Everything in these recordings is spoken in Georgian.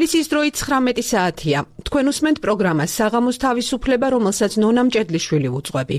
თბილისის დროით 19 საათია. თქვენ უსმენთ პროგრამას საღამოს თავისუფლება, რომელსაც ნონა მჭედლიშვილი უძღვები.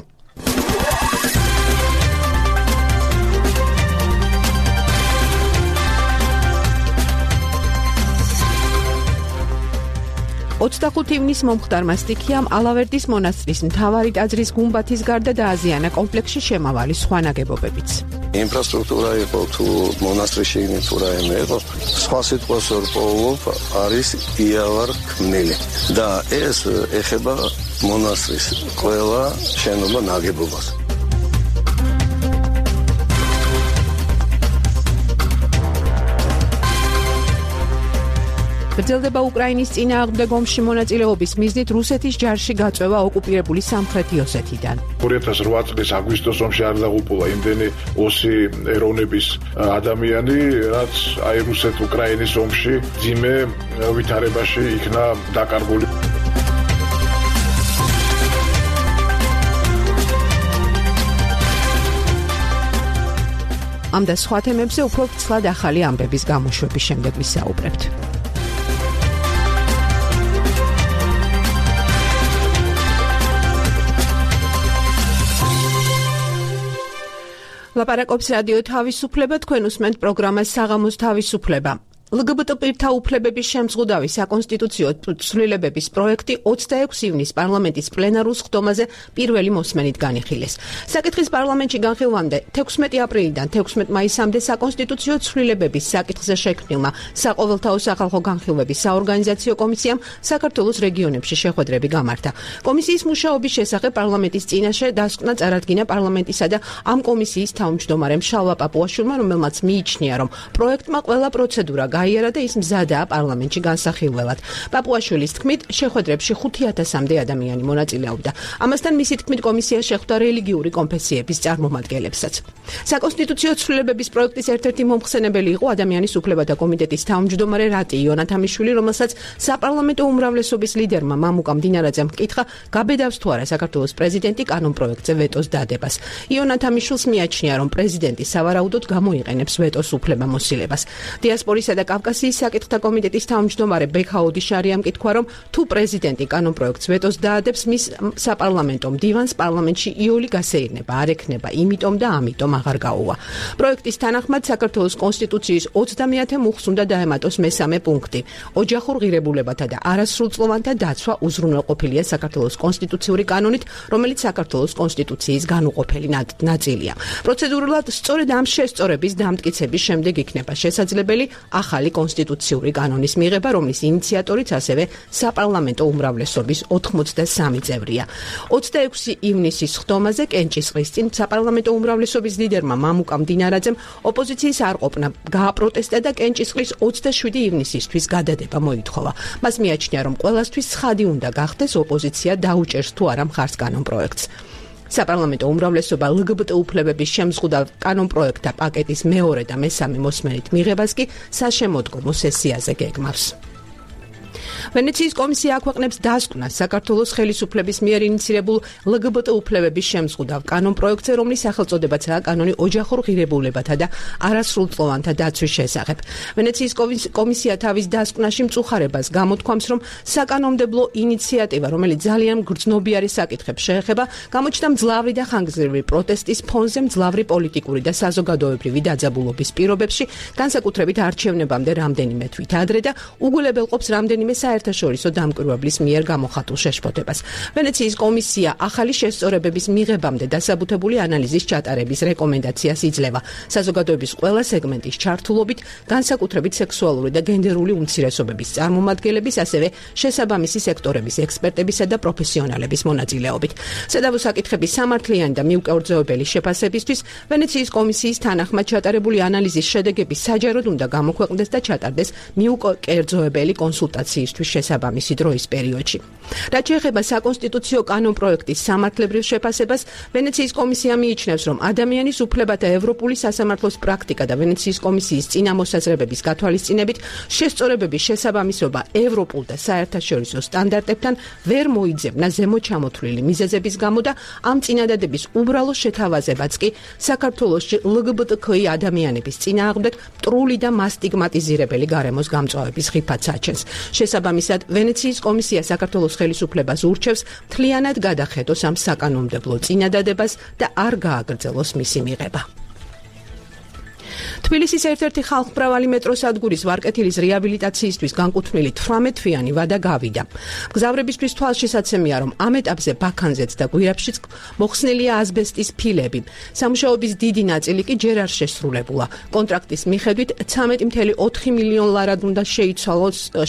ივნისს მომხდარმა სტიქიამ ალავერდის მონასტრის მთავარი ტაძრის გუმბათის გარდა დააზიანა კომპლექსში შემავალი სხვა ნაგებობებიც. ინფრასტრუქტურა იყო თუ მონასტრში თუ რაიმე იყო, სხვა სიტყვას ვერ პოულობ, არის იავარ ქმნილი და ეს ეხება მონასტრის ყველა შენობა ნაგებობას. გრძელდება უკრაინის წინააღმდეგ ომში მონაწილეობის მიზნით რუსეთის ჯარში გაწვევა ოკუპირებული სამხრეთი ოსეთიდან. 2008 წლის აგვისტოს ომში არ დაღუპულა იმდენი ოსი ეროვნების ადამიანი, რაც აი რუსეთ-უკრაინის ომში ძიმე ვითარებაში იქნა დაკარგული. ამ და სხვა თემებზე უფრო ცლად ახალი ამბების გამოშვების შემდეგ ვისაუბრებთ. ლაპარაკობს რადიო თავისუფლება, თქვენ უსმენთ პროგრამას საღამოს თავისუფლება. LGBT პირთა უფლებების შემზღუდავი საკონსტიტუციო ცვლილებების პროექტი 26 ივნისს პარლამენტის პლენარულ სხდომაზე პირველი მოსმენით განიხილეს. საკითხის პარლამენტში განხილვამდე 16 აპრილიდან 16 მაისამდე საკონსტიტუციო ცვლილებების საკითხზე შექმნილმა საყოველთაო სახალხო განხილვების საორგანიზაციო კომისიამ საქართველოს რეგიონებში შეხვედრები გამართა. კომისიის მუშაობის შესახებ პარლამენტის წინაშე დასკვნა წარადგინა პარლამენტისა და ამ კომისიის თავმჯდომარემ შალვა პაპუაშვილმა, რომელმაც მიიჩნია, რომ პროექტმა ყველა პროცედურა გაიარა და ის მზადაა პარლამენტში განსახილველად. პაპუაშვილის თქმით, შეხვედრებში 5000-მდე ადამიანი მონაწილეობდა. ამასთან მისი თქმით, კომისია შეხვდა რელიგიური კონფესიების წარმომადგენლებსაც. საკონსტიტუციო ცვლილებების პროექტის ერთ-ერთი მომხსენებელი იყო ადამიანის უფლებათა კომიტეტის თავმჯდომარე რატი იონათამიშვილი, რომელსაც საპარლამენტო უმრავლესობის ლიდერმა მამუკა მდინარაძემ ჰკითხა, გაბედავს თუ არა საქართველოს პრეზიდენტი კანონპროექტზე ვეტოს დადებას. იონათამიშვილს მიაჩნია, რომ პრეზიდენტი სავარაუდოდ გამოიყენებს ვეტოს უფლებამოსილებას. დიასპორისა და კავკასიის საკითხთა კომიტეტის თავმჯდომარე ბექა ოდიშარიამ კითხვა, რომ თუ პრეზიდენტი კანონპროექტს ვეტოს დაადებს, მის საპარლამენტო მდივანს პარლამენტში იოლი გასეირნება არ ექნება, იმიტომ და ამიტომ აღარ გაუვა. პროექტის თანახმად საქართველოს კონსტიტუციის 30-ე მუხლს უნდა დაემატოს მესამე პუნქტი. ოჯახურ ღირებულებათა და არასრულწლოვანთა დაცვა უზრუნველყოფილია საქართველოს კონსტიტუციური კანონით, რომელიც საქართველოს კონსტიტუციის განუყოფელი ნაწილია. პროცედურულად სწორედ ამ შესწორების დამტკიცების შემდეგ იქნება შესაძლებელი ახალი კონსტიტუციური კანონის მიღება, რომლის ინიციატორიც ასევე საპარლამენტო უმრავლესობის 83 წევრია. 26 ივნისის სხდომაზე კენჭისყრის წინ საპარლამენტო უმრავლესობის ლიდერმა მამუკა მდინარაძემ ოპოზიციის არყოფნა გააპროტესტა და კენჭისყრის 27 ივნისისთვის გადადება მოითხოვა. მას მიაჩნია, რომ ყველასთვის ცხადი უნდა გახდეს ოპოზიცია დაუჭერს თუ არა მხარს კანონპროექტს. საპარლამენტო უმრავლესობა LGBT უფლებების შემზღუდავ კანონპროექტთა პაკეტის მეორე და მესამე მოსმენით მიღებას კი საშემოდგომო სესიაზე გეგმავს. ვენეციის კომისია აქვეყნებს დასკვნას საქართველოს ხელისუფლების მიერ ინიცირებულ LGBT უფლებების შემზღუდავ კანონპროექტზე, რომლის სახელწოდებაცაა კანონი ოჯახურ ღირებულებათა და არასრულწლოვანთა დაცვის შესახებ. ვენეციის კომისია თავის დასკვნაში მწუხარებას გამოთქვამს, რომ საკანონმდებლო ინიციატივა, რომელიც ძალიან გრძნობიარე საკითხებს შეეხება, გამოჩნდა მძლავრი და ხანგრძლივი პროტესტის ფონზე, მძლავრი პოლიტიკური და საზოგადოებრივი დაძაბულობის პირობებში, განსაკუთრებით არჩევნებამდე რამდენიმე თვით ადრე და უგულებელყოფს რამდენიმე საერთაშორისო დამკვირვებლის მიერ გამოხატულ შეშფოთებას. ვენეციის კომისია ახალი შესწორებების მიღებამდე დასაბუთებული ანალიზის ჩატარების რეკომენდაციას იძლევა. საზოგადოების ყველა სეგმენტის ჩართულობით, განსაკუთრებით სექსუალური და გენდერული უმცირესობების წარმომადგენლების, ასევე შესაბამისი სექტორების ექსპერტებისა და პროფესიონალების მონაწილეობით. სადავო საკითხების სამართლიანი და მიუკერძოებელი შეფასებისთვის ვენეციის კომისიის თანახმად ჩატარებული ანალიზის შედეგები საჯაროდ უნდა გამოქვეყნდეს და ჩატარდეს მიუკერძოებელი კონსულტაციისთვის მიღებისთვის შესაბამისი დროის პერიოდში. რაც შეეხება საკონსტიტუციო კანონპროექტის სამართლებრივ შეფასებას, ვენეციის კომისია მიიჩნევს, რომ ადამიანის უფლებათა ევროპული სასამართლოს პრაქტიკა და ვენეციის კომისიის წინამოსაზრებების გათვალისწინებით შესწორებების შესაბამისობა ევროპულ და საერთაშორისო სტანდარტებთან ვერ მოიძებნა ზემოჩამოთვლილი მიზეზების გამო და ამ წინადადების უბრალო შეთავაზებაც კი საქართველოში LGBTQI ადამიანების წინააღმდეგ მტრული და მასტიგმატიზირებელი გარემოს გამწვავების ხიფათს აჩენს. შესაბამისად, ვენეციის კომისია საქართველოს ხელისუფლებას ურჩევს მთლიანად გადახედოს ამ საკანონმდებლო წინადადებას და არ გააგრძელოს მისი მიღება. თბილისის ერთ-ერთი ხალხმრავალი მეტროსადგურის ვარკეთილის რეაბილიტაციისთვის განკუთვნილი 18-თვიანი ვადა გავიდა. მგზავრებისთვის თვალშესაცემია, რომ ამ ეტაპზე ბაქანზეც და გვირაბშიც მოხსნილია ასბესტის ფილები. სამუშაოების დიდი ნაწილი კი ჯერ არ შესრულებულა. კონტრაქტის მიხედვით 13.4 მილიონ ლარად უნდა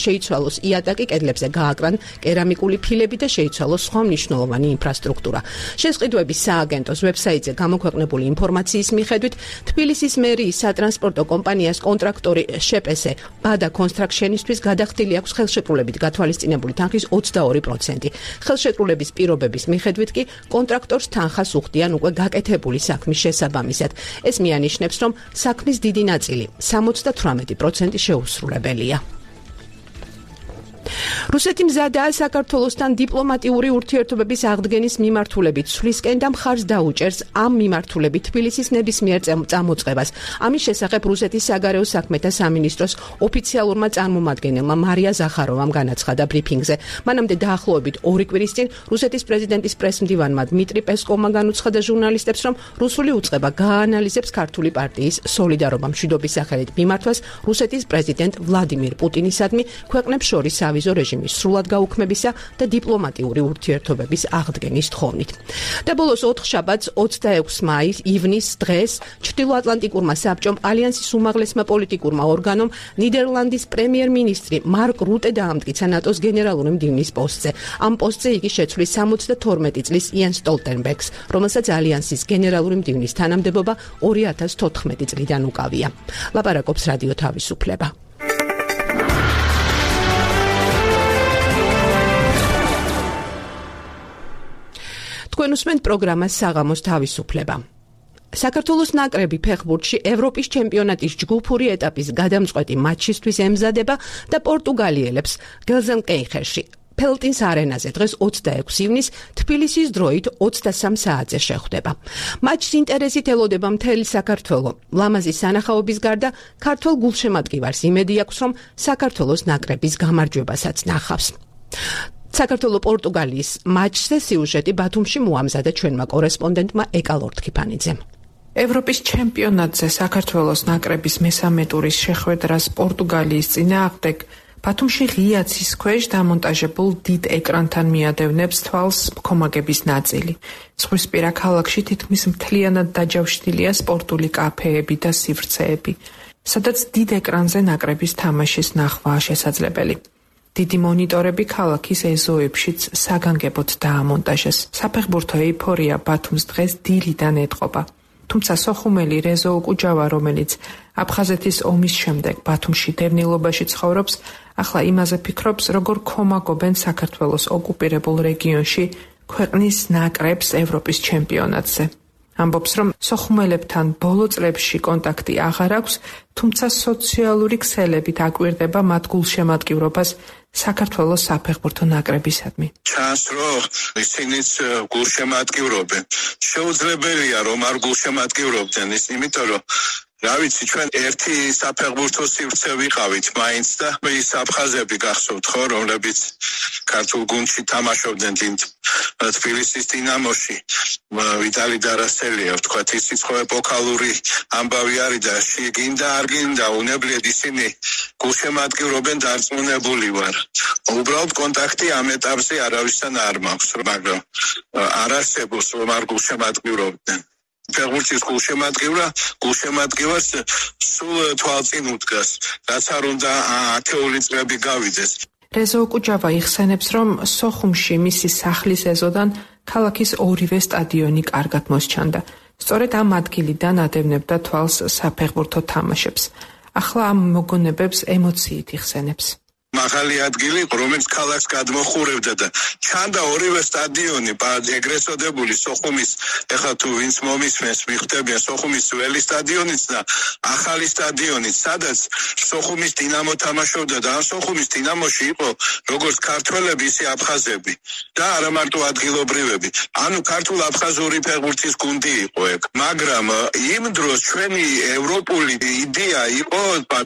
შეიცვალოს იატაკი, კედლებზე გააკრან კერამიკული ფილები და შეიცვალოს სხვა მნიშვნელოვანი ინფრასტრუქტურა. შესყიდვების სააგენტოს ვებსაიტზე გამოქვეყნებული ინფორმაციის მიხედვით თბილისის მერიის სატრანსპორტო კომპანიას კონტრაქტორი შეპესე ბადა კონსტრაქშენისთვის გადახდილი აქვს ხელშეკრულებით გათვალისწინებული თანხის 22%. ხელშეკრულების პირობების მიხედვით კი კონტრაქტორს თანხას უხდიან უკვე გაკეთებული საქმის შესაბამისად. ეს მიანიშნებს, რომ საქმის დიდი ნაწილი 78% შეუსრულებელია. რუსეთი მზადაა საქართველოსთან დიპლომატიური ურთიერთობების აღდგენის მიმართულებით ცვლისკენ და მხარს დაუჭერს ამ მიმართულებით თბილისის ნებისმიერ წამოწყებას. ამის შესახებ რუსეთის საგარეო საქმეთა სამინისტროს ოფიციალურმა წარმომადგენელმა მარია ზახაროვამ განაცხადა ბრიფინგზე. მანამდე დაახლოებით 2 კვირის წინ რუსეთის პრეზიდენტის პრესმდივანმა დმიტრი პესკოვმა განუცხადა ჟურნალისტებს, რომ რუსული უწყება გააანალიზებს ქართული პარტიის სოლიდარობა მშვიდობის სახელით მიმართვას რუსეთის პრეზიდენტ ვლადიმირ პუტინისადმი ქვეყნებს შორის ავიზო რეჟიმის სრულად გაუქმებისა და დიპლომატიური ურთიერთობების აღდგენის თხოვნით. და ბოლოს 4 შაბათს 26 ივნისს დღეს ჩრდილოატლანტიკურმა საბჭომ ალიანსის უმაღლესმა პოლიტიკურმა ორგანომ ნიდერლანდის პრემიერ-მინისტრი მარკ რუტე დაამტკიცა ნატოს გენერალური მდივნის პოსტზე. ამ პოსტზე იგი შეცვლის 72 წლის იენ სტოლტენბერგს, რომელსაც ალიანსის გენერალური მდივნის თანამდებობა 2014 წლიდან უკავია. ლაპარაკობს რადიო თავისუფლება. თქვენ უსმენთ პროგრამას საღამოს თავისუფლება. საქართველოს ნაკრები ფეხბურთში ევროპის ჩემპიონატის ჯგუფური ეტაპის გადამწყვეტი მატჩისთვის ემზადება და პორტუგალიელებს გელზენკეიხერში ფელტინს არენაზე დღეს 26 ივნისს თბილისის დროით 23 საათზე შეხვდება. მატჩს ინტერესით ელოდება მთელი საქართველო. ლამაზი სანახაობის გარდა ქართველ გულშემატკივარს იმედი აქვს, რომ საქართველოს ნაკრების გამარჯვებასაც ნახავს. საქართველო პორტუგალიის მატჩზე სიუჟეტი ბათუმში მოამზადა ჩვენმა კორესპონდენტმა ეკა ლორთქიფანიძემ. ევროპის ჩემპიონატზე საქართველოს ნაკრების მესამე ტურის შეხვედრას პორტუგალიის წინააღმდეგ ბათუმში ღია ცის ქვეშ დამონტაჟებულ დიდ ეკრანთან მიადევნებს თვალს მქომაგების ნაწილი. ზღვისპირა ქალაქში თითქმის მთლიანად დაჯავშნილია სპორტული კაფეები და სივრცეები, სადაც დიდ ეკრანზე ნაკრების თამაშის ნახვაა შესაძლებელი. დიდი მონიტორები ქალაქის ეზოებშიც საგანგებოდ დაამონტაჟეს. საფეხბურთო ეიფორია ბათუმს დღეს დილიდან ეტყობა. თუმცა სოხუმელი რეზო უკუჯავა, რომელიც აფხაზეთის ომის შემდეგ ბათუმში დევნილობაში ცხოვრობს, ახლა იმაზე ფიქრობს, როგორ ქომაგობენ საქართველოს ოკუპირებულ რეგიონში ქვეყნის ნაკრებს ევროპის ჩემპიონატზე. ამბობს, რომ სოხუმელებთან ბოლო წლებში კონტაქტი აღარ აქვს, თუმცა სოციალური ქსელებით აკვირდება მათ გულშემატკივრობას საქართველოს საფეხბურთო ნაკრებისადმი. ჩანს, რომ ისინიც გულშემატკივრობენ. შეუძლებელია, რომ არ გულშემატკივრობდნენ ის, იმიტომ რომ რა ვიცი, ჩვენ ერთი საფეხბურთო სივრცე ვიყავით მაინც და ის აფხაზები გახსოვთ ხო, რომლებიც ქართულ გუნდში თამაშობდნენ თბილისის დინამოში. ვიტალი დარასელია, ვთქვათ, ისიც ხო ეპოქალური ამბავი არის და შეგინდა არ გინდა, უნებლიეთ ისინი გულშემატკივრობენ, დარწმუნებული ვარ. უბრალოდ კონტაქტი ამ ეტაპზე არავისთან არ მაქვს, მაგრამ არ არსებობს, რომ არ გულშემატკივრობდნენ. ფეხბურთის გულშემატკივარს სულ თვალწინ უდგას, რაც არ უნდა ათეული წლები გავიდეს. რეზო უკუჯავა იხსენებს, რომ სოხუმში მისი სახლის ეზოდან ქალაქის ორივე სტადიონი კარგად მოსჩანდა. სწორედ ამ ადგილიდან ადევნებდა თვალს საფეხბურთო თამაშებს. ახლა ამ მოგონებებს ემოციით იხსენებს. ახალი ადგილი, რომელიც ქალაქს გადმოხურებდა და ჩანდა ორივე სტადიონი, ეგრეთ წოდებული სოხუმის, ეხლა თუ ვინც მომისმენს, მიხვდებიან სოხუმის ძველი სტადიონიც და ახალი სტადიონიც, სადაც სოხუმის დინამო თამაშობდა და ამ სოხუმის დინამოში იყო როგორც ქართველები, ისე აფხაზები და არა მარტო ადგილობრივები. ანუ ქართულ-აფხაზური ფეხბურთის გუნდი იყო ეგ. მაგრამ იმ დროს ჩვენი ევროპული იდეა იყო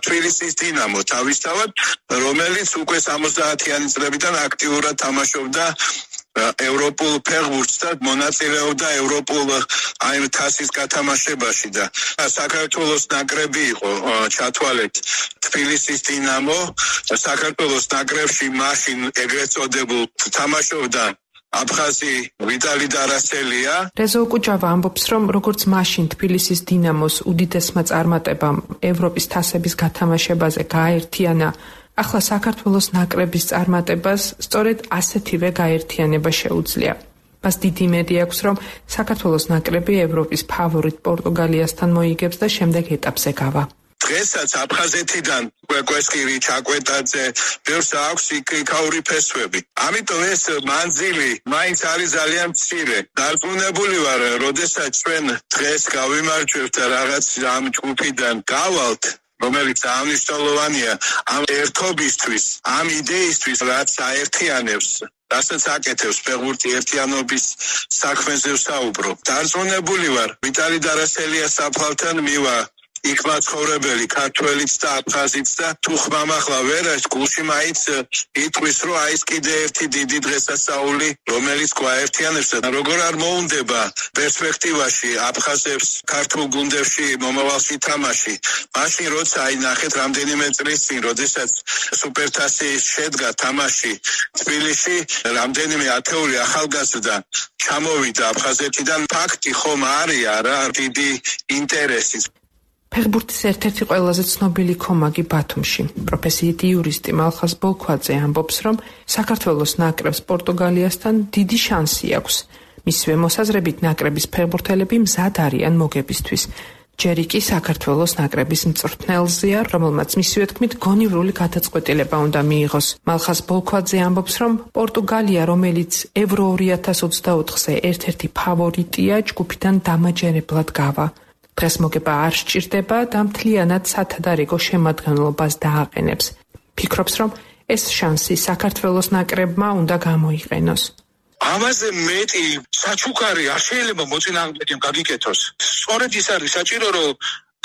თბილისის დინამო თავისთავად, რომელიც უკვე 70-იანი წლებიდან აქტიურად თამაშობდა ევროპულ ფეხბურთს და მონაწილეობდა ევროპულ აი თასის გათამაშებაში და საქართველოს ნაკრები იყო ჩათვალეთ თბილისის დინამო. საქართველოს ნაკრებში მაშინ ეგრეთ წოდებულ თამაშობდა აფხაზი ვიტალი დარასელია. რეზო კუჯავა ამბობს, რომ როგორც მაშინ თბილისის დინამოს უდიდესმა წარმატებამ ევროპის თასების გათამაშებაზე გააერთიანა, ახლა საქართველოს ნაკრების წარმატებას სწორედ ასეთივე გაერთიანება შეუძლია. მას დიდი იმედი აქვს, რომ საქართველოს ნაკრები ევროპის ფავორიტ პორტუგალიასთან მოიგებს და შემდეგ ეტაპზე გავა. დღესაც აფხაზეთიდან კვესკირი, ჩაკვეტაძე, ბევრს აქვს იქაური ფესვები. ამიტომ ეს მანძილი მაინც არის ძალიან მცირე. დარწმუნებული ვარ, როდესაც ჩვენ დღეს გავიმარჯვებთ და რაღაც ამ ჯგუფიდან გავალთ, რომელიც აღნიშნულოვანია ამ ერთობისთვის, ამ იდეისთვის, რაც აერთიანებს, რასაც აკეთებს ფეხბურთი ერთიანობის საქმეზე ვსაუბრობ. დარწმუნებული ვარ, ვიტალი დარასელიას საფლავთან მივა იქ მაცხოვრებელი ქართველიც და აფხაზიც და თუ ხმამახლა ვერას გულში მაინც იტყვის, რომ აი ეს კიდე ერთი დიდი დღესასწაული, რომელიც გვაერთიანებს და როგორ არ მოუნდება პერსპექტივაში აფხაზებს ქართულ გუნდებში მომავალში თამაში. მაშინ როცა აი ნახეთ რამდენიმე წლის წინ, როდესაც სუპერთასი შედგა თამაში თბილისში, რამდენიმე ათეული ახალგაზრდა ჩამოვიდა აფხაზეთიდან, ფაქტი ხომ არის არა დიდი ინტერესი. ფეხბურთის ერთ-ერთი ყველაზე ცნობილი კომაგი ბათუმში, პროფესიით იურისტი მალხაზ ბოლქვაძე ამბობს, რომ საქართველოს ნაკრებს პორტუგალიასთან დიდი შანსი აქვს. მისივე მოსაზრებით ნაკრების ფეხბურთელები მზად არიან მოგებისთვის. ჯერ კი საქართველოს ნაკრების მწვრთნელზეა, რომელმაც მისივე თქმით გონივრული გადაწყვეტილება უნდა მიიღოს. მალხაზ ბოლქვაძე ამბობს, რომ პორტუგალია, რომელიც ევრო 2024-ზე ერთ-ერთი ფავორიტია, ჯგუფიდან დამაჯერებლად გავა. დღეს მოგება არ სჭირდება და მთლიანად სათადარიგო შემადგენლობას დააყენებს. ფიქრობს, რომ ეს შანსი საქართველოს ნაკრებმა უნდა გამოიყენოს. ამაზე მეტი საჩუქარი არ შეიძლება მოწინააღმდეგემ გაგიკეთოს. სწორედ ის არის საჭირო, რომ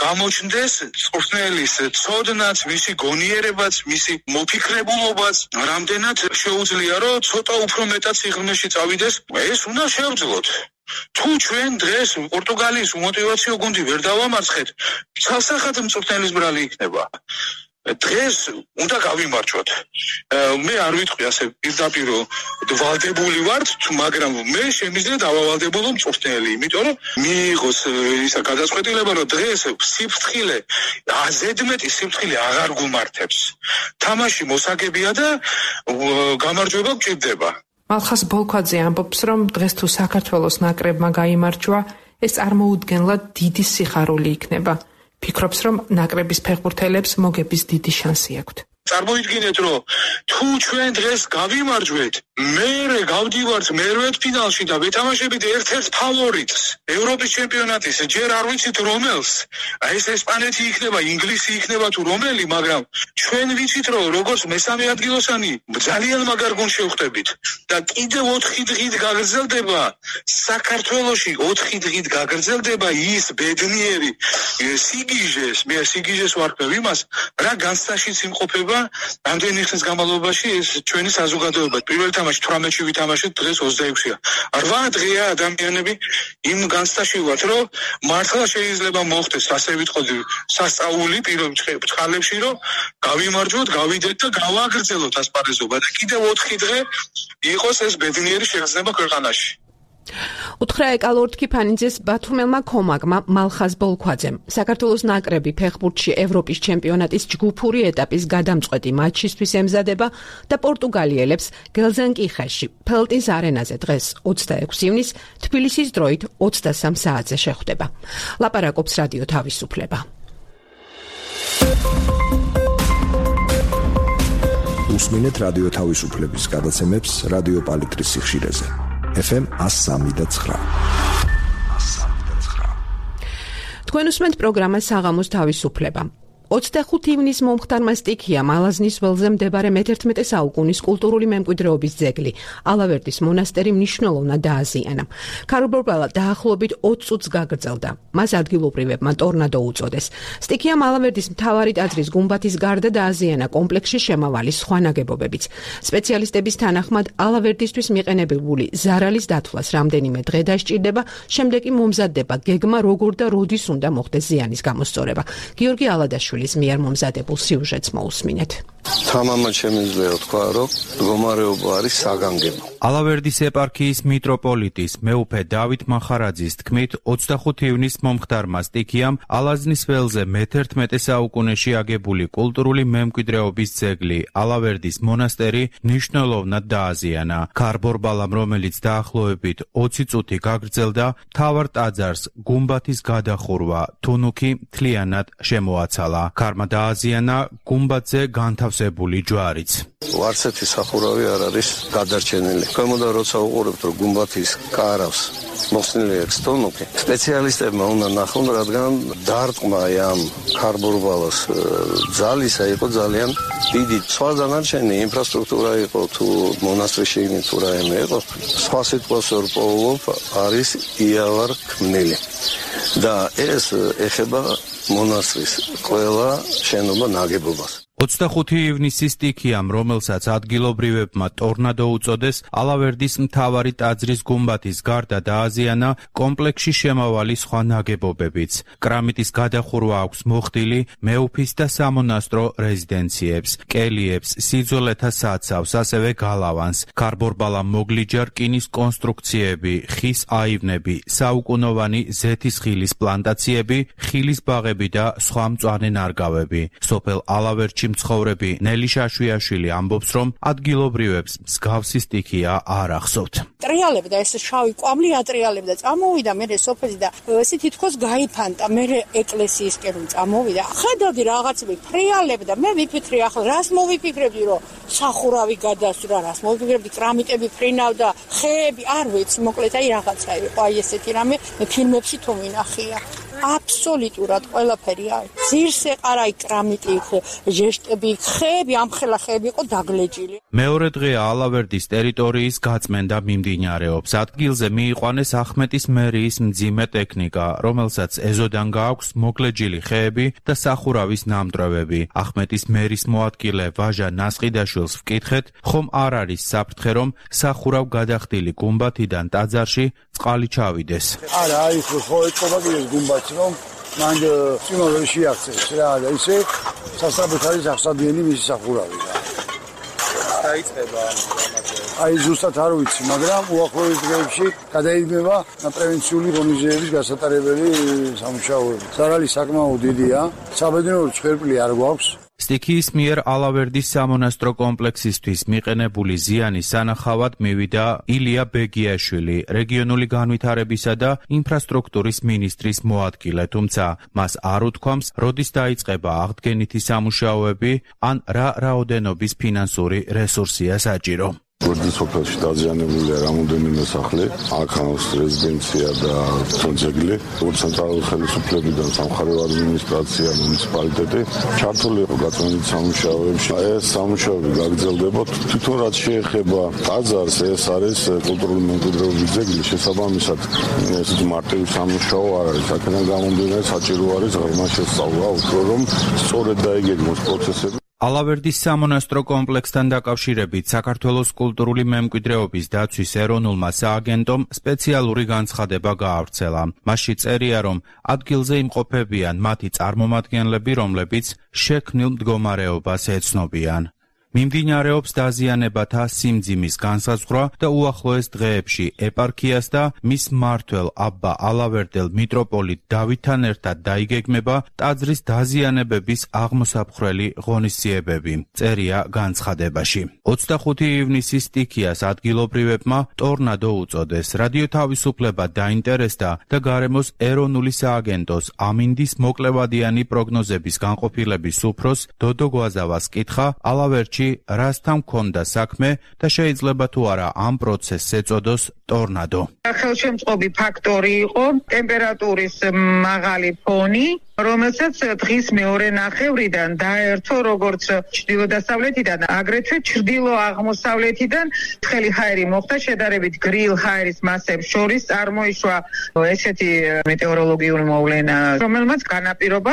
გამოჩნდეს მწვრთნელის ცოდნაც, მისი გონიერებაც, მისი მოფიქრებულობაც, რამდენად შეუძლია, რომ ცოტა უფრო მეტად სიღრმეში წავიდეს, ეს უნდა შევძლოთ. თუ ჩვენ დღეს პორტუგალიის უმოტივაციო გუნდი ვერ დავამარცხეთ, ცალსახად მწვრთნელის ბრალი იქნება. დღეს უნდა გავიმარჯვოთ. მე არ ვიტყვი ასე პირდაპირ ვალდებული ვარ, მაგრამ მე შემიძლია დავავალდებულო მწვრთნელი, იმიტომ რომ მიიღოს ისა გადაწყვეტილება, რომ დღეს სიფრთხილე, ზედმეტი სიფრთხილე აღარ გუმართებს. თამაში მოსაგებია და გამარჯვება გჭირდება. მალხაზ ბოლქვაძე ამბობს, რომ დღეს თუ საქართველოს ნაკრებმა გაიმარჯვა, ეს წარმოუდგენლად დიდი სიხარული იქნება. ფიქრობს, რომ ნაკრების ფეხბურთელებს მოგების დიდი შანსი აქვთ. წარმოიდგინეთ, რომ თუ ჩვენ დღეს გავიმარჯვეთ, მერე გავდივართ მერვედფინალში და ვეთამაშებით ერთ-ერთ ფავორიტს ევროპის ჩემპიონატის, ჯერ არ ვიცით რომელს, აი ეს ესპანეთი იქნება, ინგლისი იქნება თუ რომელი, მაგრამ ჩვენ ვიცით, რომ როგორც მესამე ადგილოსანი ძალიან მაგარ გუნდს შევხვდებით და კიდევ 4 დღით გაგრძელდება საქართველოში 4 დღით გაგრძელდება ის ბედნიერი სიგიჟეს, მე სიგიჟეს ვარქვევ იმას, რა განცდაშიც იმყოფება რამდენი ხნის განმავლობაში ეს ჩვენი საზოგადოება. პირველ თამაში 18-ში ვითამაშეთ, დღეს 26-ია. 8 დღეა ადამიანები იმ განცდაში ვართ, რომ მართლა შეიძლება მოხდეს, ასე ვიტყოდი, სასწაული პირველ წყალებში, რომ გავიმარჯვოთ, გავიდეთ და გავაგრძელოთ ასპარეზობა და კიდევ 4 დღე იყოს ეს ბედნიერი შეგრძნება ქვეყანაში. უთხრა ეკალორთკი ფანიძეს ბათუმელმა კომაგმა მალხაზ ბოლქვაძემ. საქართველოს ნაკრები ფეხბურთში ევროპის ჩემპიონატის ჯგუფური ეტაპის გადამწყვეტი მატჩისთვის ემზადება და პორტუგალიელებს გელზენკიხეში, ფელტის არენაზე დღეს 26 ივნის თბილისის დროით 23 საათზე შეხვდება. ლაპარაკობს რადიო თავისუფლება. უსმინეთ რადიო თავისუფლების გადაცემებს რადიო პალიტრის სიხშირეზე. FM 103.9. თქვენ უსმენთ პროგრამას საღამოს თავისუფლება. 25 ივნისს მომხდარმა სტიქიამ ალაზნის ველზე მდებარე მე-11 საუკუნის კულტურული მემკვიდრეობის ძეგლი ალავერდის მონასტერი მნიშვნელოვნად დააზიანა. ქარბორბალა დაახლოებით 20 წუთს გაგრძელდა. მას ადგილობრივებმა ტორნადო უწოდეს. სტიქიამ ალავერდის მთავარი ტაძრის გუმბათის გარდა დააზიანა კომპლექსში შემავალი სხვა ნაგებობებიც. სპეციალისტების თანახმად ალავერდისთვის მიყენებული ზარალის დათვლას რამდენიმე დღე დასჭირდება, შემდეგ კი მომზადდება გეგმა როგორ და როდის უნდა მოხდეს ზიანის გამოსწორება. გიორგი ალადაშვილი მიერ მომზადებულ სიუჟეტს მოусმინეთ. თამამად შემიძლია თქვა, რომ მდგომარეობა არის საგანგებო. ალავერდის ეპარქიის მიტროპოლიტის მეუფე დავით მახარაძის თქმით, 25 ივნისს მომხდარმა სტიქიამ ალაზნის ველზე მე-11 საუკუნეში აგებული კულტურული მემკვიდრეობის ძეგლი ალავერდის მონასტერი მნიშვნელოვნად დააზიანა. ქარბორბალამ, რომელიც დაახლოებით 20 წუთი გაგრძელდა, მთავარ ტაძარს გუმბათის გადახურვა თუნუქი მთლიანად შემოაცალა. ქარმა დააზიანა გუმბათზე განთავსებული ჯვარიც. ვარცეთი სახურავი არ არის გადარჩენილი. ქვემოდან როცა უყურებთ, რომ გუმბათის კარავს მოხსნილი აქვს თუნუქი, სპეციალისტებმა უნდა ნახონ, რადგან დარტყმა ამ ქარბორბალას ძალისა იყო ძალიან დიდი. სხვა დანარჩენი ინფრასტრუქტურა იყო, თუ მონასტრის შიგნით თუ რაიმე იყო, სხვა სიტყვას ვერ პოულობ, არის იავარ ქმნილი. და ეს ეხება მონასტრის ყველა შენობა ნაგებობას. 25 ივნისის სტიქიამ, რომელსაც ადგილობრივებმა ტორნადო უწოდეს, ალავერდის მთავარი ტაძრის გუმბათის გარდა დააზიანა კომპლექსში შემავალი სხვა ნაგებობებიც. კრამიტის გადახურვა აქვს მოხდილი მეუფის და სამონასტრო რეზიდენციებს, კელიებს, სიძველეთა საცავს, ასევე გალავანს. ქარბორბალამ მოგლიჯა რკინის კონსტრუქციები, ხის აივნები, საუკუნოვანი ზეთის ხილის პლანტაციები, ხილის ბაღები და სხვა მწვანე ნარგავები. სოფელ ალავერდში მცხოვრები ნელი შაშვიაშვილი ამბობს, რომ ადგილობრივებს მსგავსი სტიქია არ ახსოვთ. ტრიალებდა ეს შავი კვამლი ატრიალებდა, წამოვიდა მე სოფელი და ესე თითქოს გაიფანტა, მე ეკლესიისკენ წამოვიდა. ხედავდი რაღაცები ფრიალებდა, მე ვიფიქრე ახლა რას მოვიფიქრებდი, რომ სახურავი გადასვრა, რას მოვიფიქრებდი, კრამიტები ფრინავდა, ხეები, არ ვიცი, მოკლედ აი რაღაცა იყო, აი ესეთი რამე მე ფილმებში თუ მინახია. აბსოლუტურად ყველაფერი არის. ძირს ეყარა კრამიტი, ჟეშტები, ხეები, ამხელა ხეები იყო დაგლეჯილი. მეორე დღეა ალავერდის ტერიტორიის გაწმენდა მიმდინარეობს. ადგილზე მიიყვანეს ახმეტის მერიის მძიმე ტექნიკა, რომელსაც ეზოდან გააქვს მოგლეჯილი ხეები და სახურავის ნამტვრევები. ახმეტის მერის მოადგილე ვაჟა ნასყიდაშვილს ვკითხეთ, ხომ არ არის საფრთხე, რომ სახურავ გადახდილი გუმბათიდან ტაძარში წყალი ჩავიდეს. არა, აი ხო ეთქობა ეს გუმბათი, რომ მან სიმოველი შეაქცეს რა და ისე სასწრაფოდ არის ახსადიანი მისი სახურავი. დაიწყება აი ზუსტად არ ვიცი, მაგრამ უახლოეს დღეებში გადაიდგება პრევენციული ღონისძიების გასატარებელი სამუშაოები. ზარალი საკმაოდ დიდია, საბედნიერო ცხვერპლი არ გვაქვს. სტიქიის მიერ ალავერდის სამონასტრო კომპლექსისთვის მიყენებული ზიანის სანახავად მივიდა ილია ბეგიაშვილი, რეგიონული განვითარებისა და ინფრასტრუქტურის მინისტრის მოადგილე, თუმცა მას არ უთქვამს, როდის დაიწყება აღდგენითი სამუშაოები, ან რა რაოდენობის ფინანსური რესურსია საჭირო. გვერდის სოფელში დაზიანებულია რამოდენიმე სახლი, აქ აქვს რეზიდენცია და ძეგლი, ცენტრალური ხელისუფლებიდან სამხარეო ადმინისტრაცია, მუნიციპალიტეტი ჩართული იყო გაწმენდით სამუშაოებში. ეს სამუშაოები გაგრძელდება. თვითონ რაც შეეხება ტაძარს, ეს არის კულტურული მემკვიდრეობის ძეგლი, შესაბამისად ესეთი მარტივი სამუშაო არ არის. აქედან გამომდინარე საჭირო არის ღრმა შესწავლა, უფრო რომ სწორედ დაიგეგმოს პროცესები. ალავერდის სამონასტრო კომპლექსთან დაკავშირებით საქართველოს კულტურული მემკვიდრეობის დაცვის ეროვნულმა სააგენტომ სპეციალური განცხადება გაავრცელა. მასში წერია, რომ ადგილზე იმყოფებიან მათი წარმომადგენლები, რომლებიც შექმნილ მდგომარეობას ეცნობიან. მიმდინარეობს დაზიანებათა სიმძიმის განსაზღვრა და უახლოეს დღეებში ეპარქიას და მის მმართველ აბა ალავერდელ მიტროპოლიტ დავითთან ერთად დაიგეგმება ტაძრის დაზიანებების აღმოსაფხრელი ღონისძიებები. წერია განცხადებაში. 25 ივნისის სტიქიას ადგილობრივებმა ტორნადო უწოდეს. რადიო თავისუფლება დაინტერესდა და გარემოს ეროვნული სააგენტოს ამინდის მოკლევადიანი პროგნოზების განყოფილების უფროს დოდო გვაზავას კითხა ალავერდში ქვეყანაში რასთან ჰქონდა საქმე და შეიძლება თუ არა ამ პროცესს ეწოდოს ტორნადო. ხელშემწყობი ფაქტორი იყო ტემპერატურის მაღალი ფონი, რომელსაც დღის მეორე ნახევრიდან დაერთო როგორც ჩრდილო-დასავლეთიდან, აგრეთვე ჩრდილო-აღმოსავლეთიდან ცხელი ჰაერი მოხდა შედარებით გრილ ჰაერის მასებს შორის წარმოიშვა ესეთი მეტეოროლოგიური მოვლენა, რომელმაც განაპირობა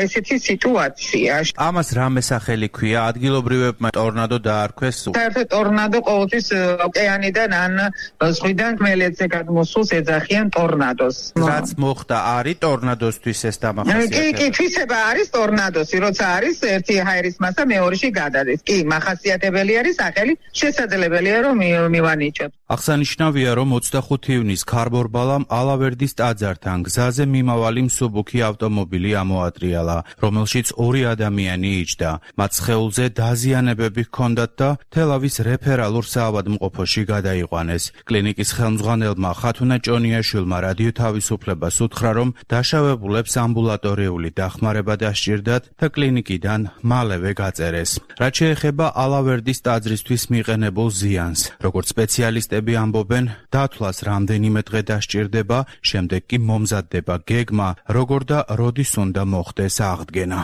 ესეთი სიტუაცია. ამას რა მოსახელი ქვია? ადგილობრივებმა ტორნადო დაარქვეს. საერთოდ ტორნადო ყოველთვის ოკეანიდან ან ზღვიდან ხმელეთზე გადმოსულს ეძახიან ტორნადოს. რაც მოხდა არის ტორნადოსთვის ეს დამახასიათებელი. კი, თვისება არის ტორნადოსი, როცა არის ერთი ჰაერის მასა მეორეში გადადის. კი, მახასიათებელი არის სახელი, შესაძლებელია რომ მივანიჭოთ. აღსანიშნავია, რომ 25 ივნის ქარბორბალამ ალავერდის ტაძართან გზაზე მიმავალი მსუბუქი ავტომობილი ამოატრიალა, რომელშიც 2 ადამიანი იჯდა. მათ სხეულზე დაზიანებები ჰქონდათ და თელავის რეფერალურ საავადმყოფოში გადაიყვანეს. კლინიკის ხელმძღვანელმა ხათუნა ჭონიაშვილმა რადიო თავისუფლებას უთხრა, რომ დაშავებულებს ამბულატორიული დახმარება დასჭირდათ და კლინიკიდან მალევე გაწერეს. რაც შეეხება ალავერდის ტაძრისთვის მიყენებულ ზიანს, როგორც სპეციალისტები ამბობენ, დათვლას რამდენიმე დღე დასჭირდება, შემდეგ კი მომზადდება გეგმა, როგორ და როდის უნდა მოხდეს აღდგენა.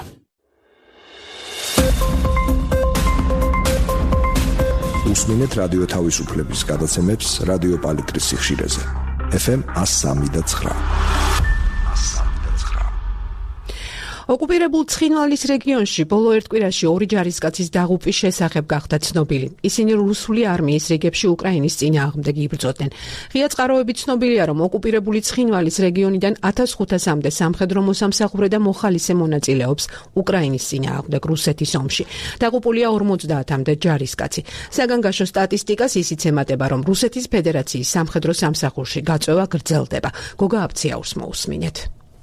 უსმინეთ რადიო თავისუფლების გადაცემებს რადიო პალიტრის სიხშირეზე. FM 103.9. ოკუპირებულ ცხინვალის რეგიონში ბოლო ერთ კვირაში 2 ჯარისკაცის დაღუპვის შესახებ გახდა ცნობილი. ისინი რუსული არმიის რიგებში უკრაინის წინააღმდეგ იბრძოდნენ. ღია წყაროები ცნობილია, რომ ოკუპირებული ცხინვალის რეგიონიდან 1500-მდე სამხედრო მოსამსახურე და მოხალისე მონაწილეობს უკრაინის წინააღმდეგ რუსეთის ომში. დაღუპულია 50-მდე ჯარისკაცი. საგანგაშო სტატისტიკას ისიც ემატება, რომ რუსეთის ფედერაციის სამხედრო სამსახურში გაწვევა გრძელდება. გოგა აბციაურს მოусმინეთ.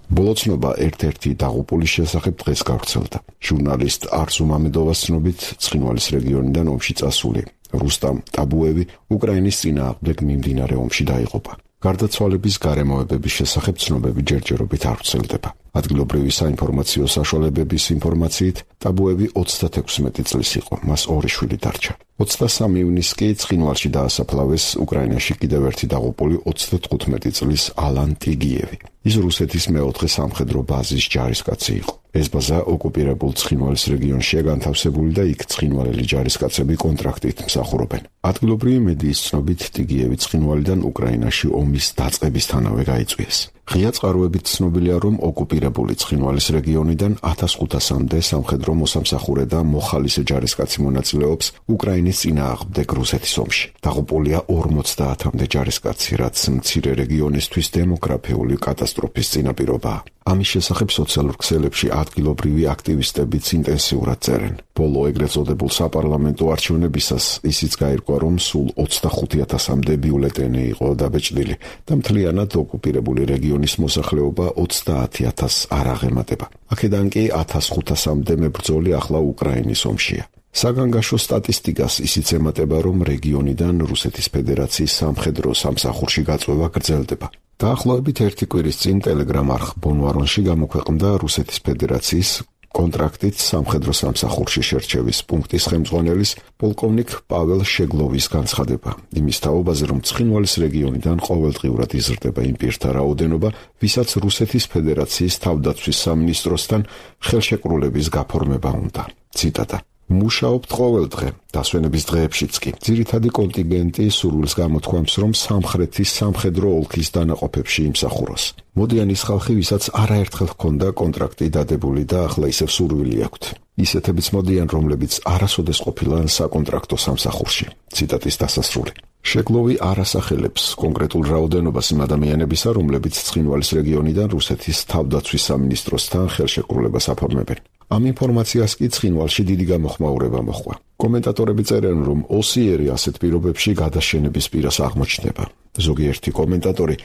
ბოლოცნობა ერთ-ერთი დაღუპულის შესახებ დღეს გავრცელდა. ჟურნალისტ არზუ მამედოვას ცნობით, ცხინვალის რეგიონიდან ომში წასული რუსტამ ტაბუევი უკრაინის წინააღმდეგ მიმდინარე ომში დაიღუპა. გარდაცვალების გარემოებების შესახებ ცნობები ჯერჯერობით არ ვრცელდება. ადგილობრივი საინფორმაციო საშუალებების ინფორმაციით, ტაბუევი 36 წლის იყო, მას 2 შვილი დარჩა. 23 ივნისს კი ცხინვალში დაასაფლავეს უკრაინაში კიდევ ერთი დაღუპული 35 წლის ალან ტიგიევი. ის რუსეთის მეოთხე სამხედრო ბაზის ჯარისკაცი იყო. ეს ბაზა ოკუპირებულ ცხინვალის რეგიონშია განთავსებული და იქ ცხინვალელი ჯარისკაცები კონტრაქტით მსახურობენ. ადგილობრივი მედიის ცნობით, ტიგიევი ცხინვალიდან უკრაინაში ომის დაწყებისთანავე გაიწვიეს. ღია წყაროებით ცნობილია, რომ ოკუპირებული ცხინვალის რეგიონიდან 1500-მდე სამხედრო მოსამსახურე და მოხალისე ჯარისკაცი მონაწილეობს უკრაინის წინააღმდეგ რუსეთის ომში. დაღუპულია 50-მდე ჯარისკაცი, რაც მცირე რეგიონისთვის დემოგრაფიული კატასტროფის წინაპირობაა. ამის შესახებ სოციალურ ქსელებში ადგილობრივი აქტივისტებიც ინტენსიურად წერენ. ბოლო ეგრეთ წოდებულ საპარლამენტო არჩევნებისას ისიც გაირკვა, რომ სულ 25,000-მდე ბიულეტენი იყო დაბეჭდილი და მთლიანად ოკუპირებული რეგიონის მოსახლეობა 30,000 არ აღემატება. აქედან კი 1500-მდე მებრძოლი ახლა უკრაინის ომშია. საგანგაშო სტატისტიკას ისიც ემატება, რომ რეგიონიდან რუსეთის ფედერაციის სამხედრო სამსახურში გაწვევა გრძელდება. დაახლოებით 1 კვირის წინ ტელეგრამ არხ ბონვარონში გამოქვეყნდა რუსეთის ფედერაციის კონტრაქტით სამხედრო სამსახურში შერჩევის პუნქტის ხელმძღვანელის პოლკოვნიკ პაվել შეგლოვის განცხადება. იმის თაობაზე, რომ ცხინვალის რეგიონიდან ყოველდღიურად იზრდება იმ პირთა რაოდენობა, ვისაც რუსეთის ფედერაციის თავდაცვის სამინისტროსთან ხელშეკრულების გაფორმება უნდა. ციტატა: მუშაობთ ყოველ დღე, დასვენების დღეებშიც კი. ძირითადი კონტინგენტი სურვილს გამოთქვამს, რომ სამხრეთის სამხედრო ოლქის დანაყოფებში იმსახუროს. მოდიან ის ხალხი, ვისაც არაერთხელ ჰქონდა კონტრაქტი დადებული და ახლა ისევ სურვილი აქვთ. ისეთებიც მოდიან, რომლებიც არასოდეს ყოფილან საკონტრაქტო სამსახურში. ციტატის დასასრული. შეგლოვი არ ასახელებს კონკრეტულ რაოდენობას იმ ადამიანებისა, რომლებიც ცხინვალის რეგიონიდან რუსეთის თავდაცვის სამინისტროსთან ხელშეკრულებას აფორმებენ. ამ ინფორმაციას კი ცხინვალში დიდი გამოხმაურება მოჰყვა. კომენტატორები წერენ, რომ ოსიერი ასეთ პირობებში გადაშენების პირას აღმოჩნდება. ზოგიერთი კომენტატორი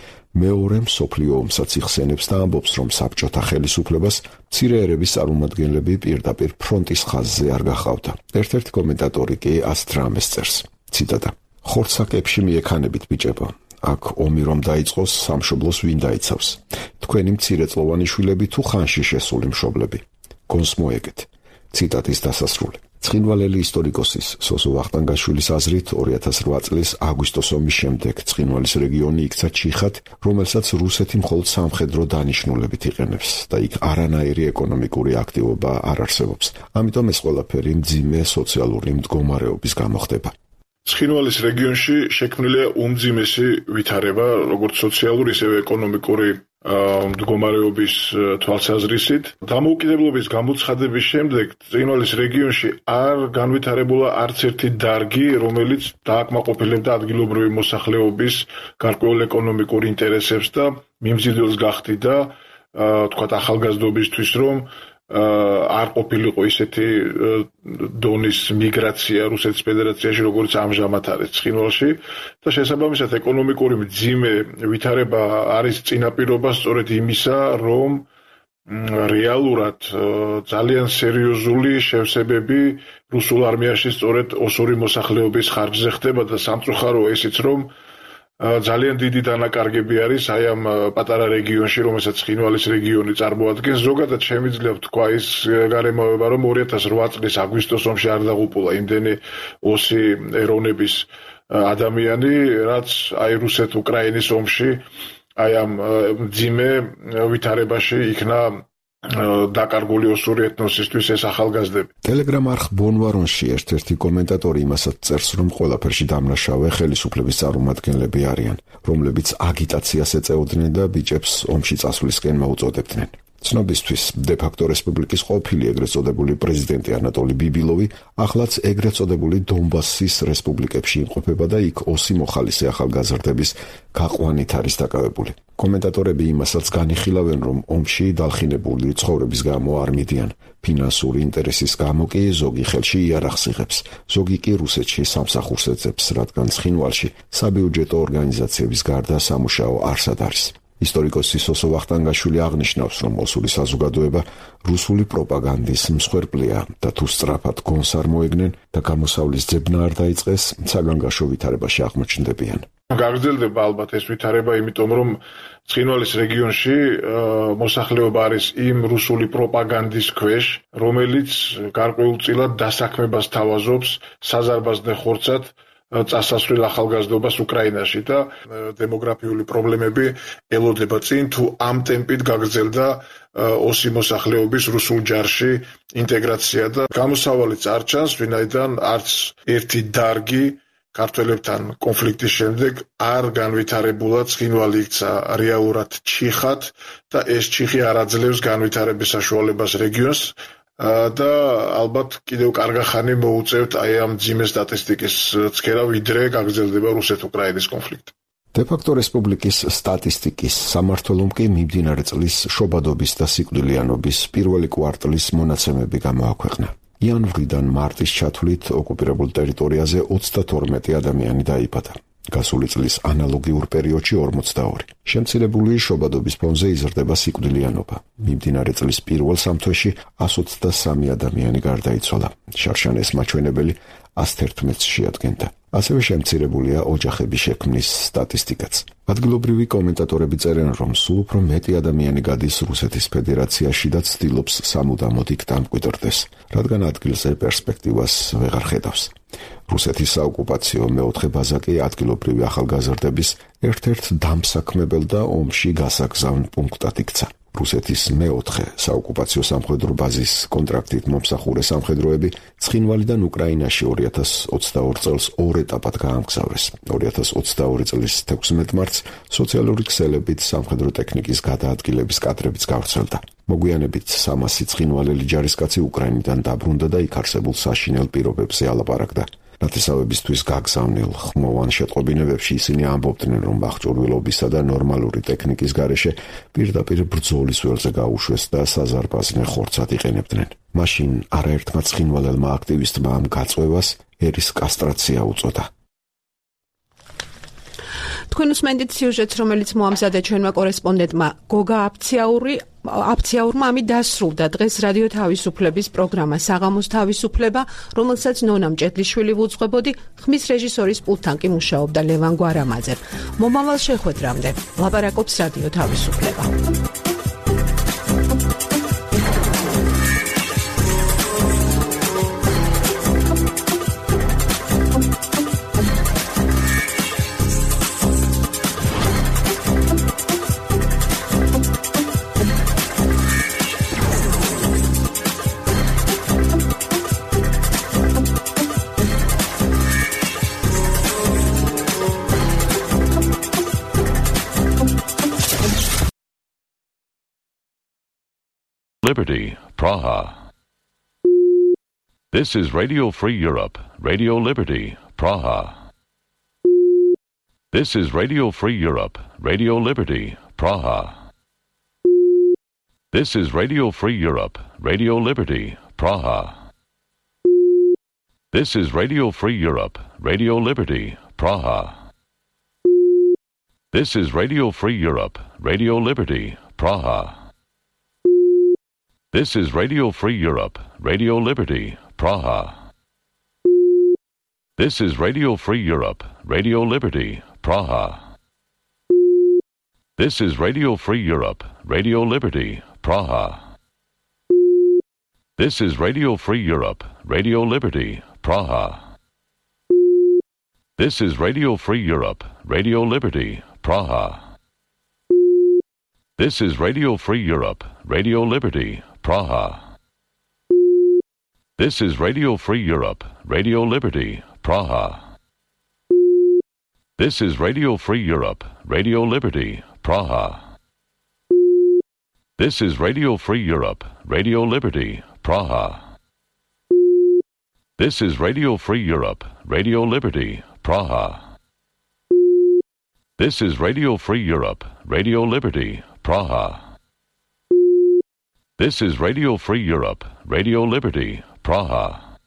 მეორე მსოფლიო ომსაც იხსენებს და ამბობს, რომ საბჭოთა ხელისუფლებას მცირე ერების წარმომადგენლები პირდაპირ ფრონტის ხაზზე არ გახავდა. ერთ-ერთი კომენტატორი კი ასეთ რამეს წერს. ციტატა: ხორცაკებში მიექანებით ბიჭებო. აქ ომი რომ დაიწყოს, სამშობლოს ვინ დაიცავს? თქვენი მცირეწლოვანი შვილები თუ ხანში შესული მშობლები? გონს მოეგეთ. ციტატის დასასრული. ცხინვალელი ისტორიკოსის სოსო ვახტანგაშვილის აზრით 2008 წლის აგვისტოს ომის შემდეგ ცხინვალის რეგიონი იქცა ჩიხად, რომელსაც რუსეთი მხოლოდ სამხედრო დანიშნულებით იყენებს და იქ არანაირი ეკონომიკური აქტივობა არ არსებობს. ამიტომ ეს ყველაფერი მძიმე სოციალური მდგომარეობის გამო ხდება. ცხინვალის რეგიონში შექმნილია უმძიმესი ვითარება, როგორც სოციალური, ისევე ეკონომიკური მდგომარეობის თვალსაზრისით. დამოუკიდებლობის გამოცხადების შემდეგ ცხინვალის რეგიონში არ განვითარებულა არც ერთი დარგი, რომელიც დააკმაყოფილებდა ადგილობრივი მოსახლეობის გარკვეულ ეკონომიკურ ინტერესებს და მიმზიდველს გახდიდა, თქვათ ახალგაზრდობისთვის, რომ არ ყოფილიყო ისეთი დონის მიგრაცია რუსეთის ფედერაციაში, როგორც ამჟამად არის ცხინვალში და შესაბამისად ეკონომიკური მძიმე ვითარება არის წინაპირობა სწორედ იმისა, რომ რეალურად ძალიან სერიოზული შევსებები რუსულ არმიაში სწორედ ოსური მოსახლეობის ხარჯზე ხდება და სამწუხაროა ისიც, რომ ძალიან დიდი დანაკარგები არის აი ამ პატარა რეგიონში, რომელსაც ცხინვალის რეგიონი წარმოადგენს. ზოგადად შემიძლია ვთქვა ის გარემოება, რომ 2008 წლის აგვისტოს ომში არ დაღუპულა იმდენი ოსი ეროვნების ადამიანი, რაც აი რუსეთ-უკრაინის ომში აი ამ მძიმე ვითარებაში იქნა დაკარგული ოსური ეთნოსისთვის ეს ახალგაზრდები. ტელეგრამ არხ ბონვარონში ერთ-ერთი კომენტატორი იმასაც წერს, რომ ყველაფერში დამნაშავე ხელისუფლების წარმომადგენლები არიან, რომლებიც აგიტაციას ეწეოდნენ და ბიჭებს ომში წასვლისკენ მოუწოდებდნენ. ცნობისთვის, დე-ფაქტო რესპუბლიკის ყოფილი ეგრეთ წოდებული პრეზიდენტი ანატოლი ბიბილოვი ახლაც ეგრეთ წოდებული დონბასის რესპუბლიკებში იმყოფება და იქ ოსი მოხალისე ახალგაზრდების გაყვანით არის დაკავებული. კომენტატორები იმასაც განიხილავენ, რომ ომში დალხინებული ცხოვრების გამო არ მიდიან. ფინანსური ინტერესის გამო კი ზოგი ხელში იარაღს იღებს, ზოგი კი რუსეთში სამსახურს ეძებს, რადგან ცხინვალში საბიუჯეტო ორგანიზაციების გარდა სამუშაო არსად არის. ისტორიკოსი სოსო ვახტანგაშვილი აღნიშნავს, რომ ოსური საზოგადოება რუსული პროპაგანდის მსხვერპლია და თუ სწრაფად გონს არ მოეგნენ და გამოსავლის ძებნა არ დაიწყეს, საგანგაშო ვითარებაში აღმოჩნდებიან. გაგრძელდება ალბათ ეს ვითარება, იმიტომ რომ ცხინვალის რეგიონში მოსახლეობა არის იმ რუსული პროპაგანდის ქვეშ, რომელიც გარკვეულწილად დასაქმებას თავაზობს საზარბაზნე ხორცად წასასვლელ ახალგაზრდობას უკრაინაში და დემოგრაფიული პრობლემები ელოდება წინ, თუ ამ ტემპით გაგრძელდა ოსი მოსახლეობის რუსულ ჯარში ინტეგრაცია და გამოსავალიც არ ჩანს, ვინაიდან არც ერთი დარგი ქართველებთან კონფლიქტის შემდეგ არ განვითარებულა ცხინვალი იქცა რეალურად ჩიხად და ეს ჩიხი არ აძლევს განვითარების საშუალებას რეგიონს და ალბათ კიდევ კარგახანი მოუწევთ აი ამ ძიმე სტატისტიკის ცქერა, ვიდრე გაგრძელდება რუსეთ-უკრაინის კონფლიქტი. დე-ფაქტო რესპუბლიკის სტატისტიკის სამმართველომ კი მიმდინარე წლის შობადობის და სიკვდილიანობის პირველი კვარტლის მონაცემები გამოაქვეყნა. იანვრიდან მარტის ჩათვლით ოკუპირებულ ტერიტორიაზე 32 ადამიანი დაიბადა. გასული წლის ანალოგიურ პერიოდში 42. შემცირებული შობადობის ფონზე იზრდება სიკვდილიანობა. მიმდინარე წლის პირველ სამთვეში 123 ადამიანი გარდაიცვალა. შარშანეს მაჩვენებელი 111-ს შეადგენდა. ასევე შემცირებულია ოჯახების შექმნის სტატისტიკაც. ადგილობრივი კომენტატორები წერენ, რომ სულ უფრო მეტი ადამიანი გადის რუსეთის ფედერაციაში და ცდილობს სამუდამოდ იქ დამკვიდრდეს, რადგან ადგილზე პერსპექტივას ვეღარ ხედავს. რუსეთის საოკუპაციო მეოთხე ბაზა კი ადგილობრივი ახალგაზრდების ერთ-ერთ დამსაქმებელ და ომში გასაგზავნ პუნქტად იქცა. რუსეთის მეოთხე საოკუპაციო სამხედრო ბაზის კონტრაქტით მომსახურე სამხედროები ცხინვალიდან უკრაინაში 2022 წელს ორ ეტაპად გაამგზავრეს. 2022 წლის 16 მარტს სოციალური ქსელებით სამხედრო ტექნიკის გადაადგილების კადრებიც გავრცელდა. მოგვიანებით 300 ცხინვალელი ჯარისკაცი უკრაინიდან დაბრუნდა და იქ არსებულ საშინელ პირობებზე ალაპარაკდა. ნათესავებისთვის გაგზავნილ ხმოვან შეტყობინებებში ისინი ამბობდნენ, რომ ბახჭურვილობისა და ნორმალური ტექნიკის გარეშე პირდაპირ ბრძოლის ველზე გაუშვეს და საზარბაზნე ხორცად იყენებდნენ. მაშინ არაერთმა ცხინვალელმა აქტივისტმა ამ გაწვევას ერის კასტრაცია უწოდა. თქვენ უსმენთ სიუჟეტს, რომელიც მოამზადა ჩვენმა კორესპონდენტმა გოგა აფციაურმა ამით დასრულდა დღეს რადიო თავისუფლების პროგრამა საღამოს თავისუფლება, რომელსაც ნონა მჭედლიშვილი ვუძღვებოდი, ხმის რეჟისორის პულტთან კი მუშაობდა ლევან გვარამაძე. მომავალ შეხვედრამდე ლაპარაკობს რადიო თავისუფლება. Liberty, Praha. This is Radio Free Europe, Radio Liberty, Praha. This is Radio Free Europe, Radio Liberty, Praha. This is Radio Free Europe, Radio Liberty, Praha. This is Radio Free Europe, Radio Liberty, Praha. This is Radio Free Europe, Radio Liberty, Praha. This is Radio Free Europe, Radio Liberty, Praha. This is Radio Free Europe, Radio Liberty, Praha. This is Radio Free Europe, Radio Liberty, Praha. This is Radio Free Europe, Radio Liberty, Praha. This is Radio Free Europe, Radio Liberty, Praha. This is Radio Free Europe, Radio Liberty, Praha. This is Radio Free Europe, Radio Liberty, Praha. This is Radio Free Europe, Radio Liberty, Praha. This is Radio Free Europe, Radio Liberty, Praha. This is Radio Free Europe, Radio Liberty, Praha. This is Radio Free Europe, Radio Liberty, Praha. This is Radio Free Europe, Radio Liberty, Praha.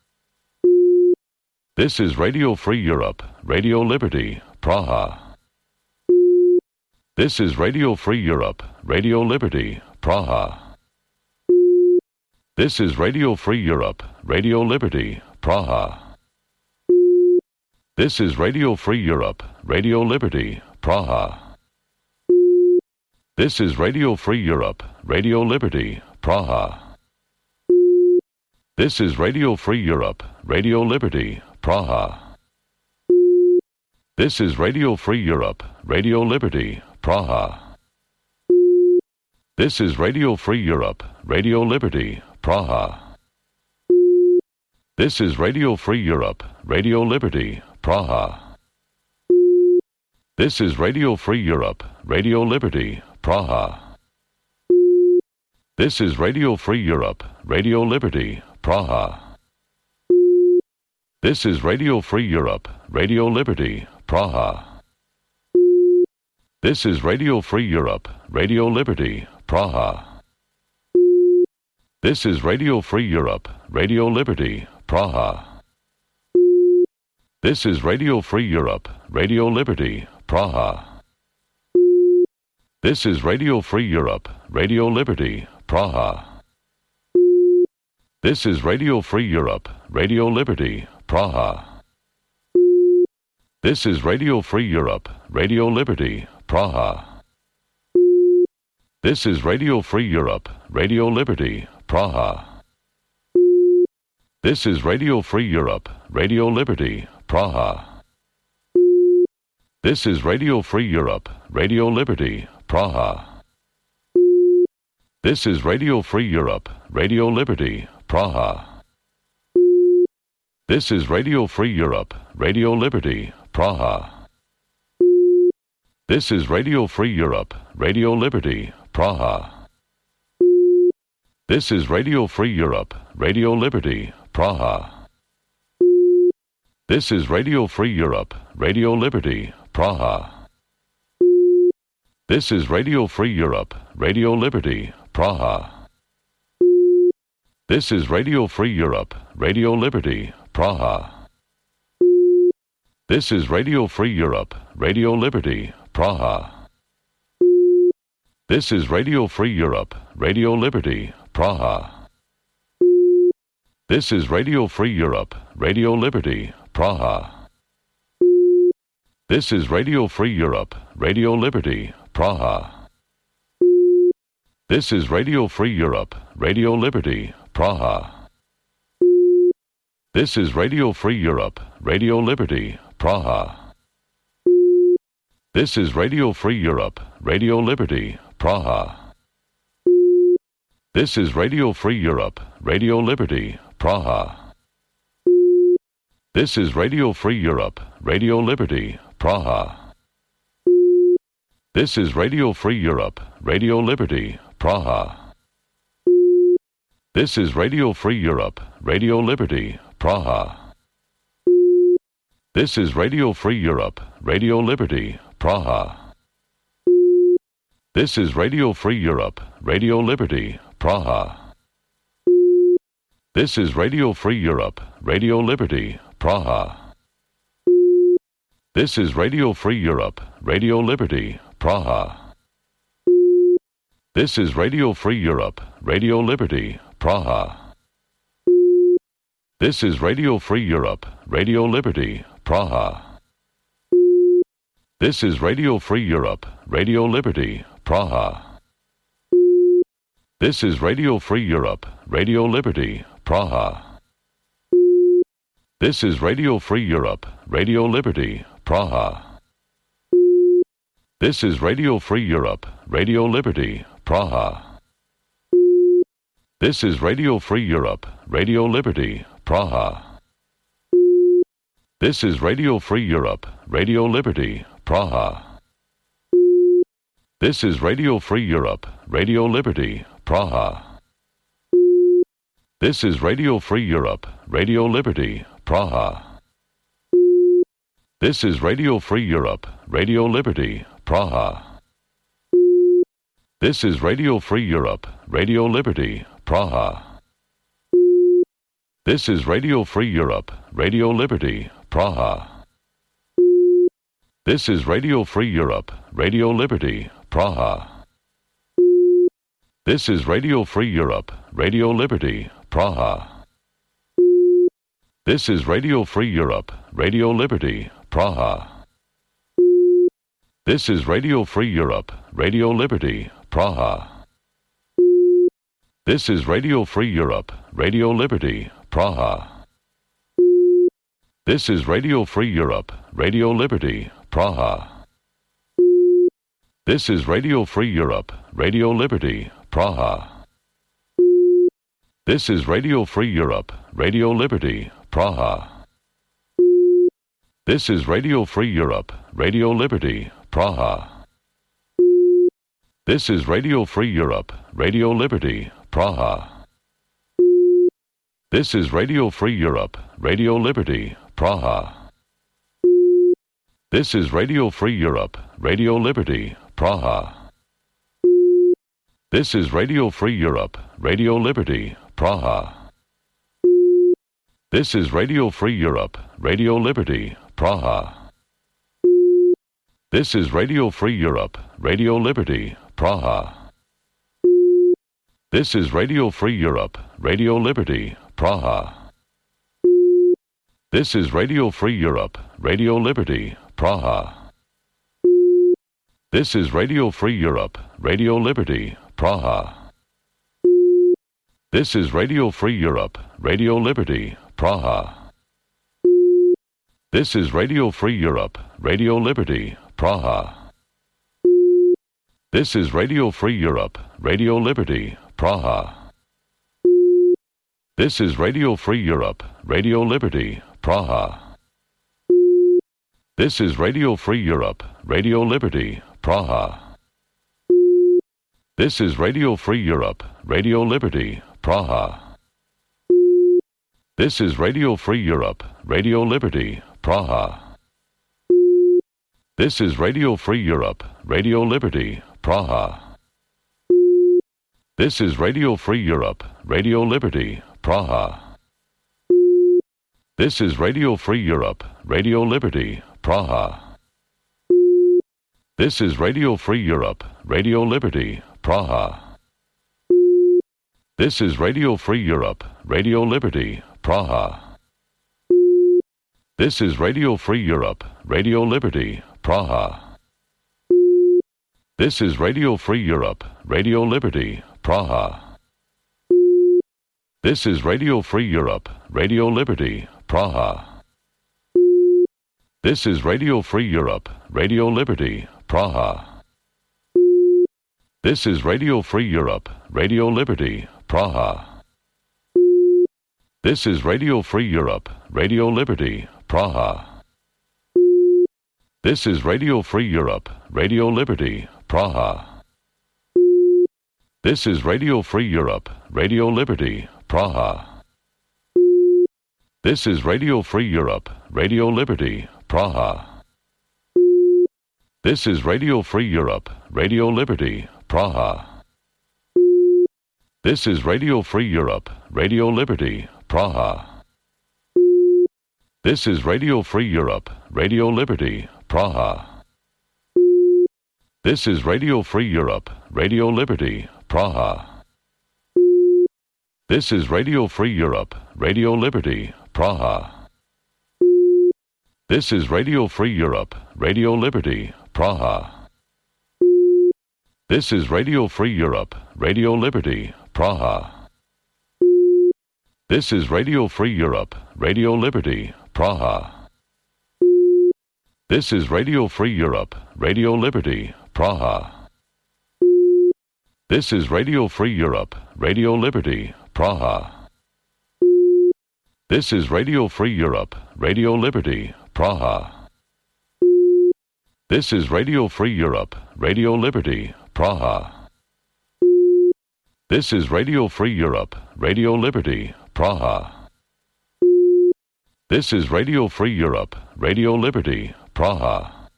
This is Radio Free Europe, Radio Liberty, Praha. This is Radio Free Europe, Radio Liberty, Praha. This is Radio Free Europe, Radio Liberty, Praha. This is Radio Free Europe, Radio Liberty, Praha. This is Radio Free Europe, Radio Liberty, Praha. This is Radio Free Europe, Radio Liberty, Praha. This is Radio Free Europe, Radio Liberty, Praha. This is Radio Free Europe, Radio Liberty, Praha. This is Radio Free Europe, Radio Liberty, Praha. This is Radio Free Europe, Radio Liberty, Praha. This is Radio Free Europe, Radio Liberty, Praha. This is Radio Free Europe, Radio Liberty, Praha. This is Radio Free Europe, Radio Liberty, Praha. This is Radio Free Europe, Radio Liberty, Praha. This is Radio Free Europe, Radio Liberty, Praha. This is Radio Free Europe, Radio Liberty, Praha. This is Radio Free Europe, Radio Liberty, Praha. This is Radio Free Europe, Radio Liberty, Praha. This is Radio Free Europe, Radio Liberty, Praha. This is Radio Free Europe, Radio Liberty, Praha. This is Radio Free Europe, Radio Liberty, Praha. This is Radio Free Europe, Radio Liberty, Praha. This is Radio Free Europe, Radio Liberty, Praha. This is Radio Free Europe, Radio Liberty, Praha. This is Radio Free Europe, Radio Liberty, Praha. This is Radio Free Europe, Radio Liberty, Praha. This is Radio Free Europe, Radio Liberty, Praha. This is Radio Free Europe, Radio Liberty, Praha. This is Radio Free Europe, Radio Liberty, Praha. This is Radio Free Europe, Radio Liberty, Praha. This is Radio Free Europe, Radio Liberty, Praha. This is Radio Free Europe, Radio Liberty, Praha. This is Radio Free Europe, Radio Liberty, Praha. This is Radio Free Europe, Radio Liberty, Praha. This is Radio Free Europe, Radio Liberty, Praha. This is Radio Free Europe, Radio Liberty, Praha. This is Radio Free Europe, Radio Liberty, Praha. This is Radio Free Europe, Radio Liberty, Praha. This is Radio Free Europe, Radio Liberty, Praha. This is Radio Free Europe, Radio Liberty, Praha. This is Radio Free Europe, Radio Liberty, Praha. This is Radio Free Europe, Radio Liberty, Praha. This is Radio Free Europe, Radio Liberty, Praha. This is Radio Free Europe, Radio Liberty, Praha. This is Radio Free Europe, Radio Liberty, Praha. This is Radio Free Europe, Radio Liberty, Praha. This is Radio Free Europe, Radio Liberty, Praha. This is Radio Free Europe, Radio Liberty, Praha. This is Radio Free Europe, Radio Liberty, Praha. This is Radio Free Europe, Radio Liberty, Praha. This is Radio Free Europe, Radio Liberty, Praha. This is Radio Free Europe, Radio Liberty, Praha. This is Radio Free Europe, Radio Liberty, Praha. This is Radio Free Europe, Radio Liberty, Praha. This is Radio Free Europe, Radio Liberty, Praha. This is Radio Free Europe, Radio Liberty, Praha. This is Radio Free Europe, Radio Liberty, Praha. This is Radio Free Europe, Radio Liberty, Praha. This is Radio Free Europe, Radio Liberty, Praha. This is Radio Free Europe, Radio Liberty, Praha. This is Radio Free Europe, Radio Liberty, Praha. This is Radio Free Europe, Radio Liberty, Praha. This is Radio Free Europe, Radio Liberty, Praha. This is Radio Free Europe, Radio Liberty, Praha. This is Radio Free Europe, Radio Liberty, Praha. This is Radio Free Europe, Radio Liberty, Praha. This is Radio Free Europe, Radio Liberty, Praha. This is Radio Free Europe, Radio Liberty, Praha. This is Radio Free Europe, Radio Liberty, Praha. This is Radio Free Europe, Radio Liberty, Praha. This is Radio Free Europe, Radio Liberty, Praha. This is Radio Free Europe, Radio Liberty, Praha. This is Radio Free Europe, Radio Liberty, Praha. This is Radio Free Europe, Radio Liberty, Praha. This is Radio Free Europe, Radio Liberty, Praha. This is Radio Free Europe, Radio Liberty, Praha. This is Radio Free Europe, Radio Liberty, Praha. This is Radio Free Europe, Radio Liberty, Praha. This is Radio Free Europe, Radio Liberty, Praha. This is Radio Free Europe, Radio Liberty, Praha. This is Radio Free Europe, Radio Liberty, Praha. This is Radio Free Europe, Radio Liberty, Praha. This is Radio Free Europe, Radio Liberty, Praha. This is Radio Free Europe, Radio Liberty, Praha. This is Radio Free Europe, Radio Liberty, Praha. This is Radio Free Europe, Radio Liberty, Praha. This is Radio Free Europe, Radio Liberty, Praha. This is Radio Free Europe, Radio Liberty, Praha. This is Radio Free Europe, Radio Liberty, Praha. This is Radio Free Europe, Radio Liberty, Praha. This is Radio Free Europe, Radio Liberty, Praha. This is Radio Free Europe, Radio Liberty, Praha. This is Radio Free Europe, Radio Liberty, Praha. This is Radio Free Europe, Radio Liberty, Praha. This is Radio Free Europe, Radio Liberty, Praha. This is Radio Free Europe, Radio Liberty, Praha. This is Radio Free Europe, Radio Liberty, Praha. This is Radio Free Europe, Radio Liberty, Praha. This is Radio Free Europe, Radio Liberty, Praha. This is Radio Free Europe, Radio Liberty, Praha. This is Radio Free Europe, Radio Liberty, Praha. This is Radio Free Europe, Radio Liberty, Praha. This is Radio Free Europe, Radio Liberty, Praha. This is Radio Free Europe, Radio Liberty, Praha. This is Radio Free Europe, Radio Liberty, Praha. This is Radio Free Europe, Radio Liberty, Praha. This is Radio Free Europe, Radio Liberty, Praha. This is Radio Free Europe, Radio Liberty, Praha. This is Radio Free Europe, Radio Liberty, Praha.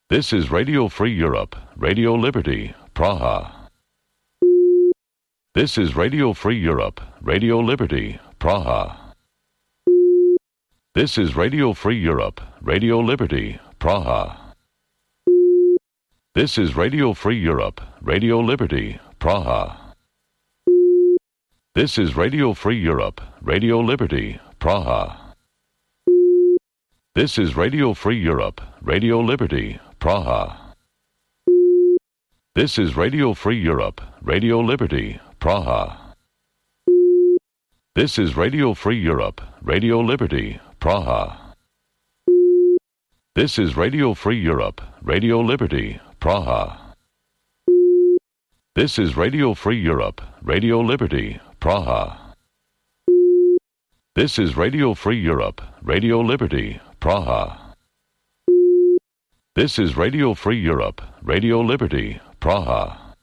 This is Radio Free Europe, Radio Liberty, Praha. This is Radio Free Europe, Radio Liberty, Praha. This is Radio Free Europe, Radio Liberty, Praha. This is Radio Free Europe, Radio Liberty, Praha. This is Radio Free Europe, Radio Liberty, Praha. This is Radio Free Europe, Radio Liberty, Praha. This is Radio Free Europe, Radio Liberty, Praha. This is Radio Free Europe, Radio Liberty, Praha. This is Radio Free Europe, Radio Liberty, Praha. This is Radio Free Europe, Radio Liberty, Praha. This is Radio Free Europe, Radio Liberty, Praha. This is Radio Free Europe, Radio Liberty, Praha.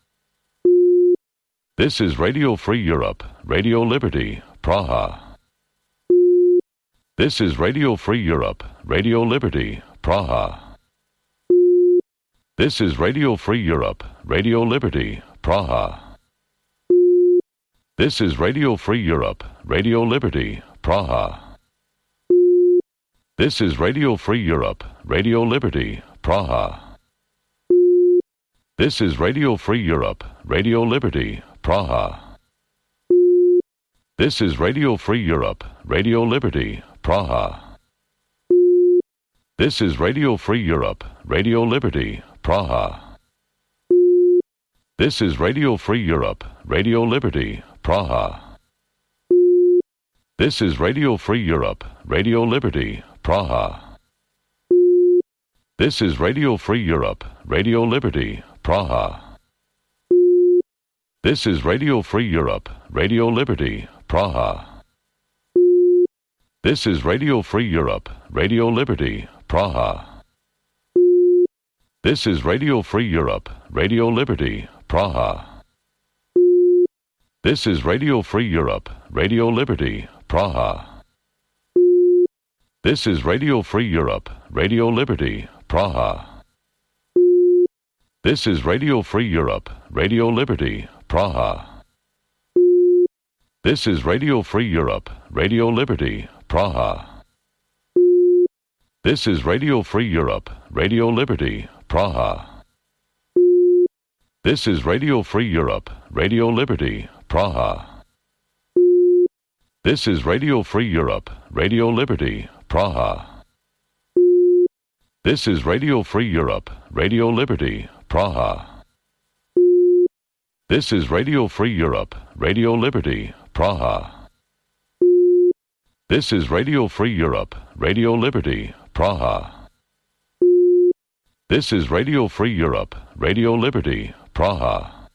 This is Radio Free Europe, Radio Liberty, Praha. This is Radio Free Europe, Radio Liberty, Praha. This is Radio Free Europe, Radio Liberty, Praha. This is Radio Free Europe, Radio Liberty, Praha. This is Radio Free Europe, Radio Liberty, Praha. This is Radio Free Europe, Radio Liberty, Praha. This is Radio Free Europe, Radio Liberty, Praha. This is Radio Free Europe, Radio Liberty, Praha. This is Radio Free Europe, Radio Liberty, Praha. This is Radio Free Europe, Radio Liberty, Praha. This is Radio Free Europe, Radio Liberty, Praha. This is Radio Free Europe, Radio Liberty, Praha. This is Radio Free Europe, Radio Liberty, Praha. This is Radio Free Europe, Radio Liberty, Praha. This is Radio Free Europe, Radio Liberty, Praha. This is Radio Free Europe, Radio Liberty, Praha. This is Radio Free Europe, Radio Liberty, Praha. This is Radio Free Europe, Radio Liberty, Praha. This is Radio Free Europe, Radio Liberty, Praha. This is Radio Free Europe, Radio Liberty, Praha. This is Radio Free Europe, Radio Liberty, Praha. This is Radio Free Europe, Radio Liberty, Praha. This is Radio Free Europe, Radio Liberty, Praha. This is Radio Free Europe, Radio Liberty, Praha. This is Radio Free Europe, Radio Liberty, Praha.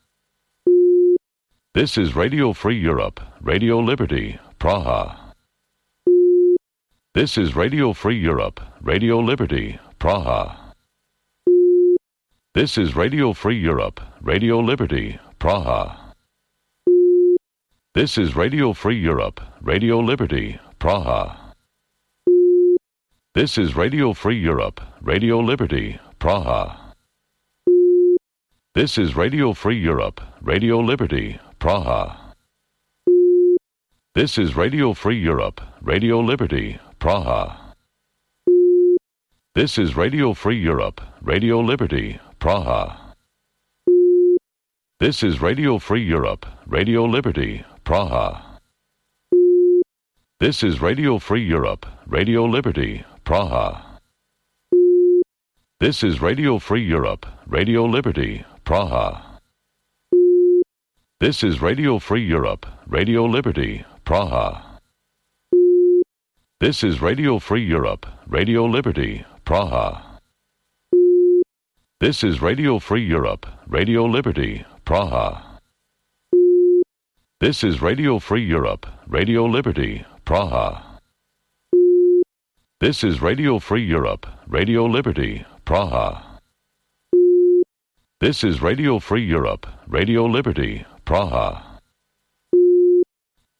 This is Radio Free Europe, Radio Liberty, Praha. This is Radio Free Europe, Radio Liberty, Praha. This is Radio Free Europe, Radio Liberty, Praha. This is Radio Free Europe, Radio Liberty, Praha. This is Radio Free Europe, Radio Liberty, Praha. This is Radio Free Europe, Radio Liberty, Praha. This is Radio Free Europe, Radio Liberty, Praha. This is Radio Free Europe, Radio Liberty, Praha. This is Radio Free Europe, Radio Liberty, Praha. This is Radio Free Europe, Radio Liberty, Praha. This is Radio Free Europe, Radio Liberty, Praha. This is Radio Free Europe, Radio Liberty, Praha. This is Radio Free Europe, Radio Liberty, Praha. This is Radio Free Europe, Radio Liberty, Praha. This is Radio Free Europe, Radio Liberty, Praha. This is Radio Free Europe, Radio Liberty, Praha. This is Radio Free Europe, Radio Liberty, Praha.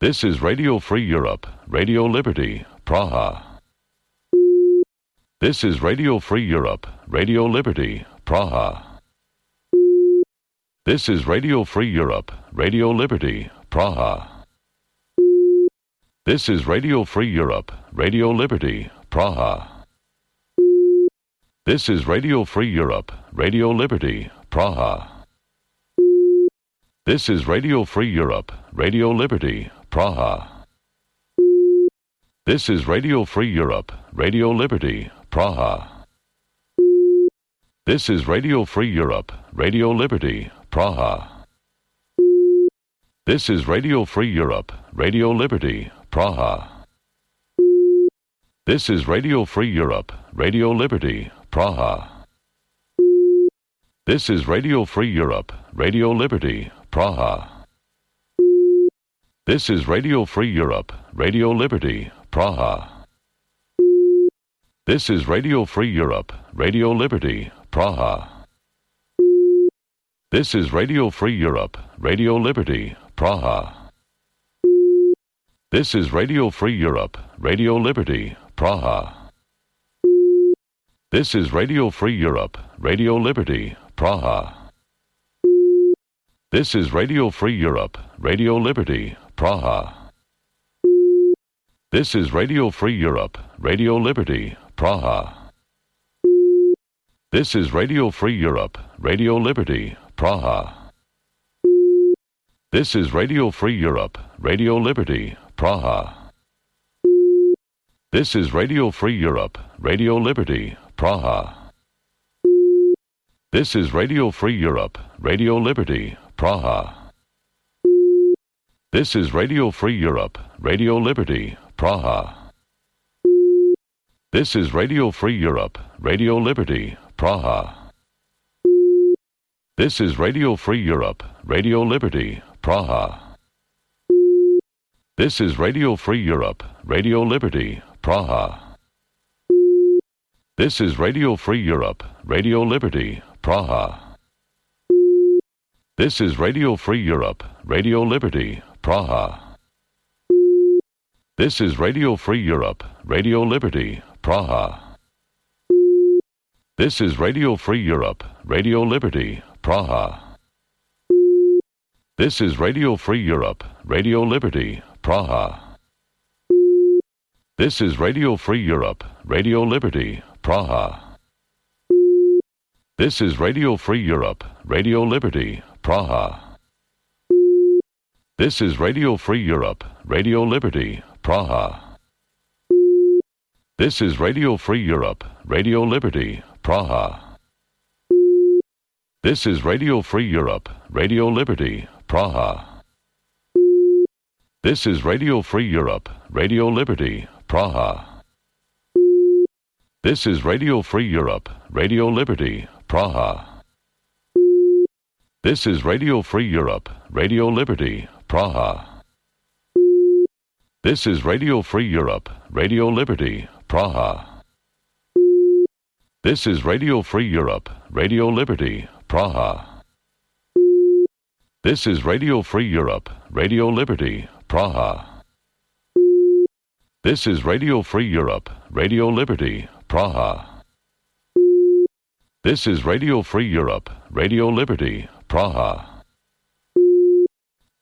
This is Radio Free Europe, Radio Liberty, Praha. This is Radio Free Europe, Radio Liberty, Praha. This is Radio Free Europe, Radio Liberty, Praha. This is Radio Free Europe, Radio Liberty, Praha. This is Radio Free Europe, Radio Liberty, Praha. This is Radio Free Europe, Radio Liberty, Praha. This is Radio Free Europe, Radio Liberty, Praha. This is Radio Free Europe, Radio Liberty, Praha. This is Radio Free Europe, Radio Liberty, Praha. This is Radio Free Europe, Radio Liberty, Praha. This is Radio Free Europe, Radio Liberty, Praha. This is Radio Free Europe, Radio Liberty, Praha. This is Radio Free Europe, Radio Liberty, Praha. This is Radio Free Europe, Radio Liberty, Praha. This is Radio Free Europe, Radio Liberty, Praha. This is Radio Free Europe, Radio Liberty, Praha. This is Radio Free Europe, Radio Liberty, Praha. This is Radio Free Europe, Radio Liberty, Praha. This is Radio Free Europe, Radio Liberty, Praha. This is Radio Free Europe, Radio Liberty, Praha. This is Radio Free Europe, Radio Liberty, Praha. This is Radio Free Europe, Radio Liberty, Praha. This is Radio Free Europe, Radio Liberty, Praha. This is Radio Free Europe, Radio Liberty, Praha. This is Radio Free Europe, Radio Liberty, Praha. This is Radio Free Europe, Radio Liberty, Praha. This is Radio Free Europe, Radio Liberty, Praha. This is Radio Free Europe, Radio Liberty, Praha. This is Radio Free Europe, Radio Liberty, Praha. This is Radio Free Europe, Radio Liberty, Praha. This is Radio Free Europe, Radio Liberty, Praha. This is Radio Free Europe, Radio Liberty, Praha. This is Radio Free Europe, Radio Liberty, Praha. This is Radio Free Europe, Radio Liberty, Praha. This is Radio Free Europe, Radio Liberty, Praha. This is Radio Free Europe, Radio Liberty, Praha. This is Radio Free Europe, Radio Liberty, Praha. This is Radio Free Europe, Radio Liberty, Praha. This is Radio Free Europe, Radio Liberty, Praha. This is Radio Free Europe, Radio Liberty, Praha. This is Radio Free Europe, Radio Liberty, Praha. This is Radio Free Europe, Radio Liberty, Praha. This is Radio Free Europe, Radio Liberty, Praha. This is Radio Free Europe, Radio Liberty, Praha.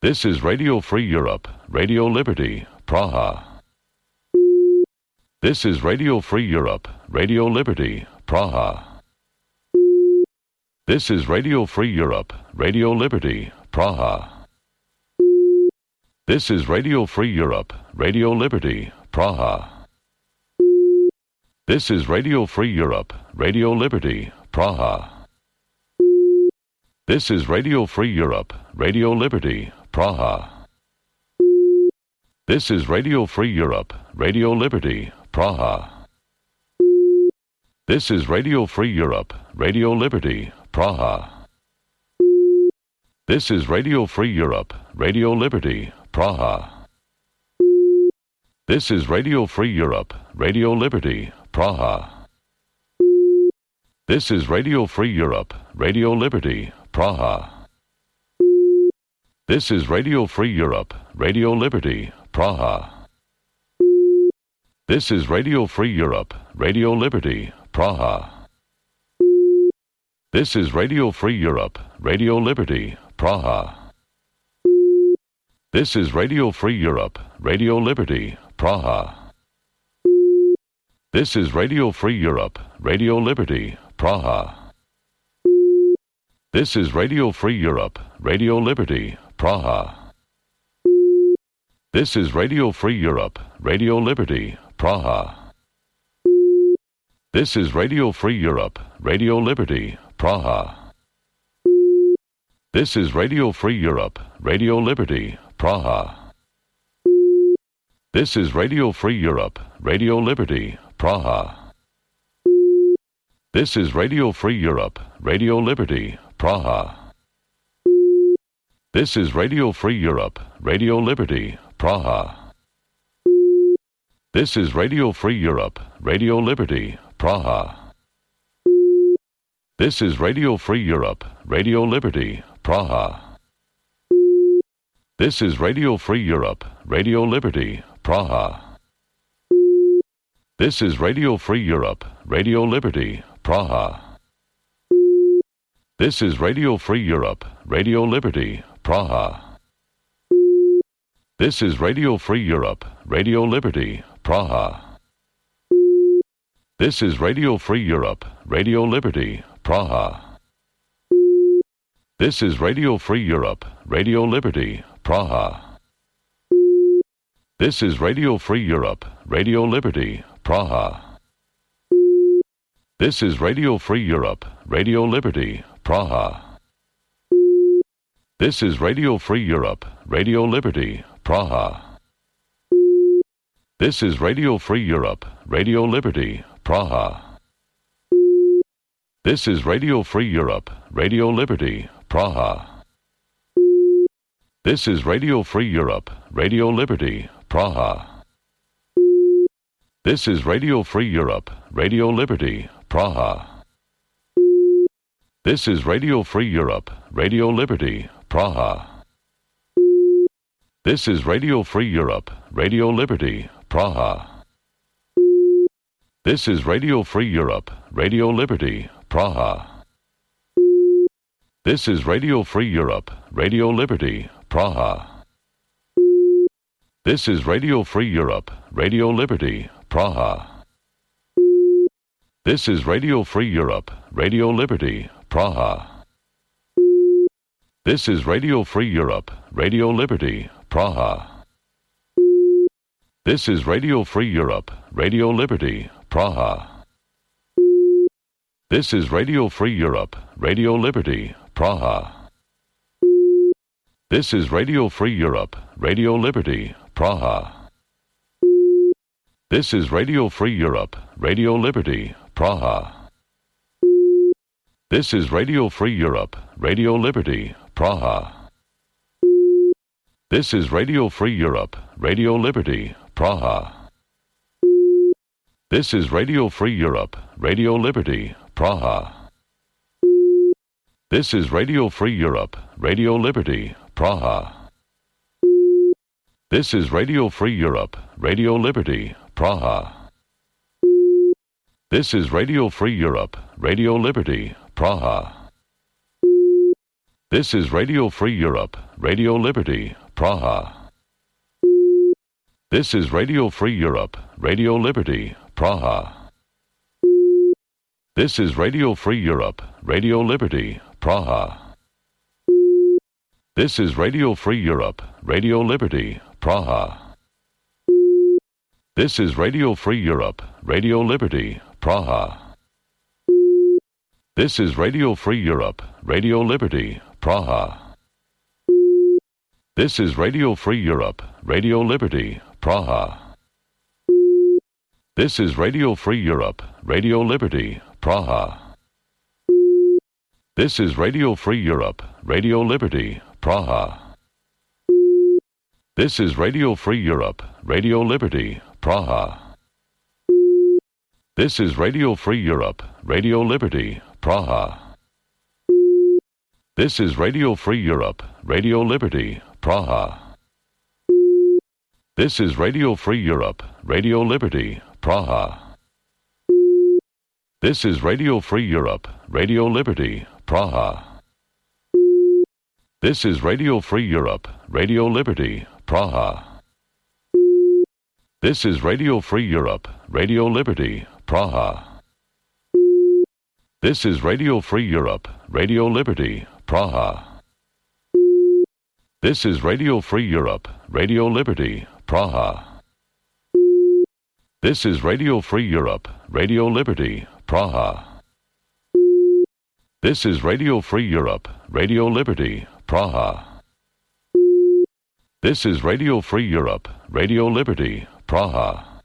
This is Radio Free Europe, Radio Liberty, Praha. This is Radio Free Europe, Radio Liberty, Praha. This is Radio Free Europe, Radio Liberty, Praha. This is Radio Free Europe, Radio Liberty, Praha. This is Radio Free Europe, Radio Liberty, Praha. This is Radio Free Europe, Radio Liberty, Praha. This is Radio Free Europe, Radio Liberty, Praha. This is Radio Free Europe, Radio Liberty, Praha. This is Radio Free Europe, Radio Liberty, Praha. This is Radio Free Europe, Radio Liberty, Praha. This is Radio Free Europe, Radio Liberty, Praha. This is Radio Free Europe, Radio Liberty, Praha. This is Radio Free Europe, Radio Liberty, Praha. This is Radio Free Europe, Radio Liberty, Praha. This is Radio Free Europe, Radio Liberty, Praha. This is Radio Free Europe, Radio Liberty, Praha. This is Radio Free Europe, Radio Liberty, Praha. This is Radio Free Europe, Radio Liberty, Praha. This is Radio Free Europe, Radio Liberty, Praha. This is Radio Free Europe, Radio Liberty, Praha. This is Radio Free Europe, Radio Liberty, Praha. This is Radio Free Europe, Radio Liberty, Praha. This is Radio Free Europe, Radio Liberty, Praha. This is Radio Free Europe, Radio Liberty, Praha. This is Radio Free Europe, Radio Liberty, Praha. This is Radio Free Europe, Radio Liberty, Praha. This is Radio Free Europe, Radio Liberty, Praha. This is Radio Free Europe, Radio Liberty, Praha. This is Radio Free Europe, Radio Liberty, Praha. This is Radio Free Europe, Radio Liberty, Praha. This is Radio Free Europe, Radio Liberty, Praha. This is Radio Free Europe, Radio Liberty, Praha. This is Radio Free Europe, Radio Liberty, Praha. This is Radio Free Europe, Radio Liberty, Praha. This is Radio Free Europe, Radio Liberty, Praha. This is Radio Free Europe, Radio Liberty, Praha. This is Radio Free Europe, Radio Liberty, Praha. This is Radio Free Europe, Radio Liberty, Praha. This is Radio Free Europe, Radio Liberty, Praha. This is Radio Free Europe, Radio Liberty, Praha. This is Radio Free Europe, Radio Liberty, Praha. This is Radio Free Europe, Radio Liberty, Praha. This is Radio Free Europe, Radio Liberty, Praha. This is Radio Free Europe, Radio Liberty, Praha. This is Radio Free Europe, Radio Liberty, Praha. This is Radio Free Europe, Radio Liberty, Praha. This is Radio Free Europe, Radio Liberty, Praha. This is Radio Free Europe, Radio Liberty, Praha. This is Radio Free Europe, Radio Liberty, Praha. This is Radio Free Europe, Radio Liberty, Praha. This is Radio Free Europe, Radio Liberty, Praha. This is Radio Free Europe, Radio Liberty, Praha. This is Radio Free Europe, Radio Liberty, Praha. This is Radio Free Europe, Radio Liberty, Praha. This is Radio Free Europe, Radio Liberty, Praha. This is Radio Free Europe, Radio Liberty, Praha. This is Radio Free Europe, Radio Liberty, Praha. This is Radio Free Europe, Radio Liberty, Praha. This is Radio Free Europe, Radio Liberty, Praha. This is Radio Free Europe, Radio Liberty, Praha. This is Radio Free Europe, Radio Liberty, Praha. This is Radio Free Europe, Radio Liberty, Praha. This is Radio Free Europe, Radio Liberty, Praha. This is Radio Free Europe, Radio Liberty, Praha. This is Radio Free Europe, Radio Liberty, Praha. This is Radio Free Europe, Radio Liberty, Praha. This is Radio Free Europe, Radio Liberty, Praha. This is Radio Free Europe, Radio Liberty, Praha. This is Radio Free Europe, Radio Liberty, Praha. This is Radio Free Europe, Radio Liberty, Praha. This is Radio Free Europe, Radio Liberty, Praha. This is Radio Free Europe, Radio Liberty, Praha. This is Radio Free Europe, Radio Liberty, Praha. This is Radio Free Europe, Radio Liberty, Praha. This is Radio Free Europe, Radio Liberty, Praha. This is Radio Free Europe, Radio Liberty, Praha.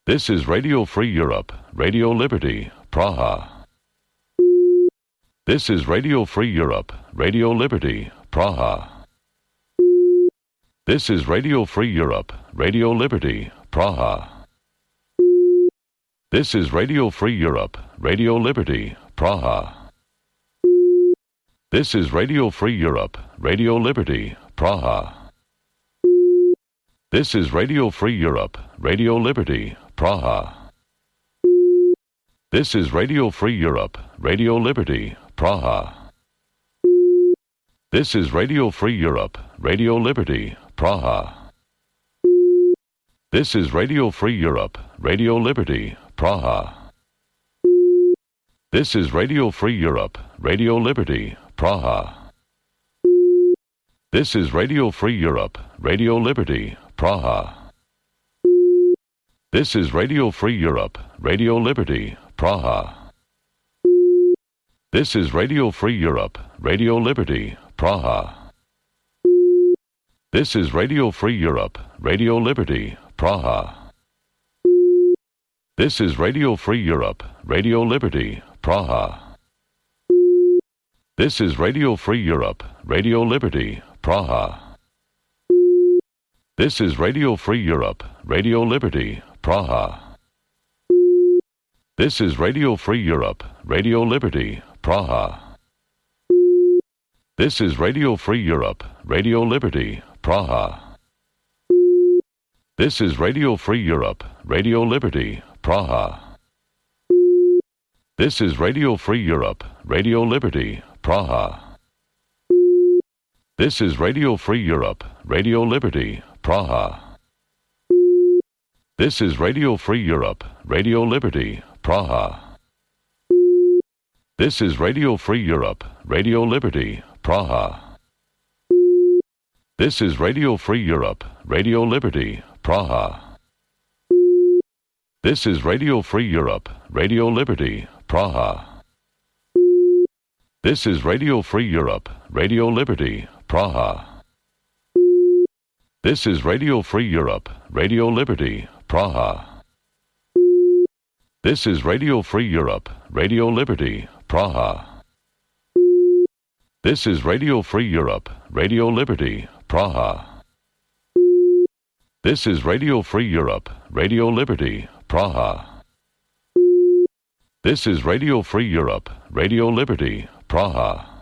This is Radio Free Europe, Radio Liberty, Praha. This is Radio Free Europe, Radio Liberty, Praha. This is Radio Free Europe, Radio Liberty, Praha. This is Radio Free Europe, Radio Liberty, Praha. This is Radio Free Europe, Radio Liberty, Praha. This is Radio Free Europe, Radio Liberty, Praha. This is Radio Free Europe, Radio Liberty, Praha. This is Radio Free Europe, Radio Liberty, Praha. This is Radio Free Europe, Radio Liberty, Praha. This is Radio Free Europe, Radio Liberty, Praha. This is Radio Free Europe, Radio Liberty, Praha. This is Radio Free Europe, Radio Liberty, Praha. This is Radio Free Europe, Radio Liberty, Praha. This is Radio Free Europe, Radio Liberty, Praha. This is Radio Free Europe, Radio Liberty, Praha. This is Radio Free Europe, Radio Liberty, Praha. This is Radio Free Europe, Radio Liberty, Praha. This is Radio Free Europe, Radio Liberty, Praha. This is Radio Free Europe, Radio Liberty, Praha. This is Radio Free Europe, Radio Liberty, Praha. This is Radio Free Europe, Radio Liberty, Praha. This is Radio Free Europe, Radio Liberty, Praha. This is Radio Free Europe, Radio Liberty, Praha. This is Radio Free Europe, Radio Liberty, Praha. This is Radio Free Europe, Radio Liberty, Praha. This is Radio Free Europe, Radio Liberty, Praha. This is Radio Free Europe, Radio Liberty, Praha. This is Radio Free Europe, Radio Liberty, Praha. This is Radio Free Europe, Radio Liberty, Praha. This is Radio Free Europe, Radio Liberty, Praha. This is Radio Free Europe, Radio Liberty, Praha. This is Radio Free Europe, Radio Liberty, Praha.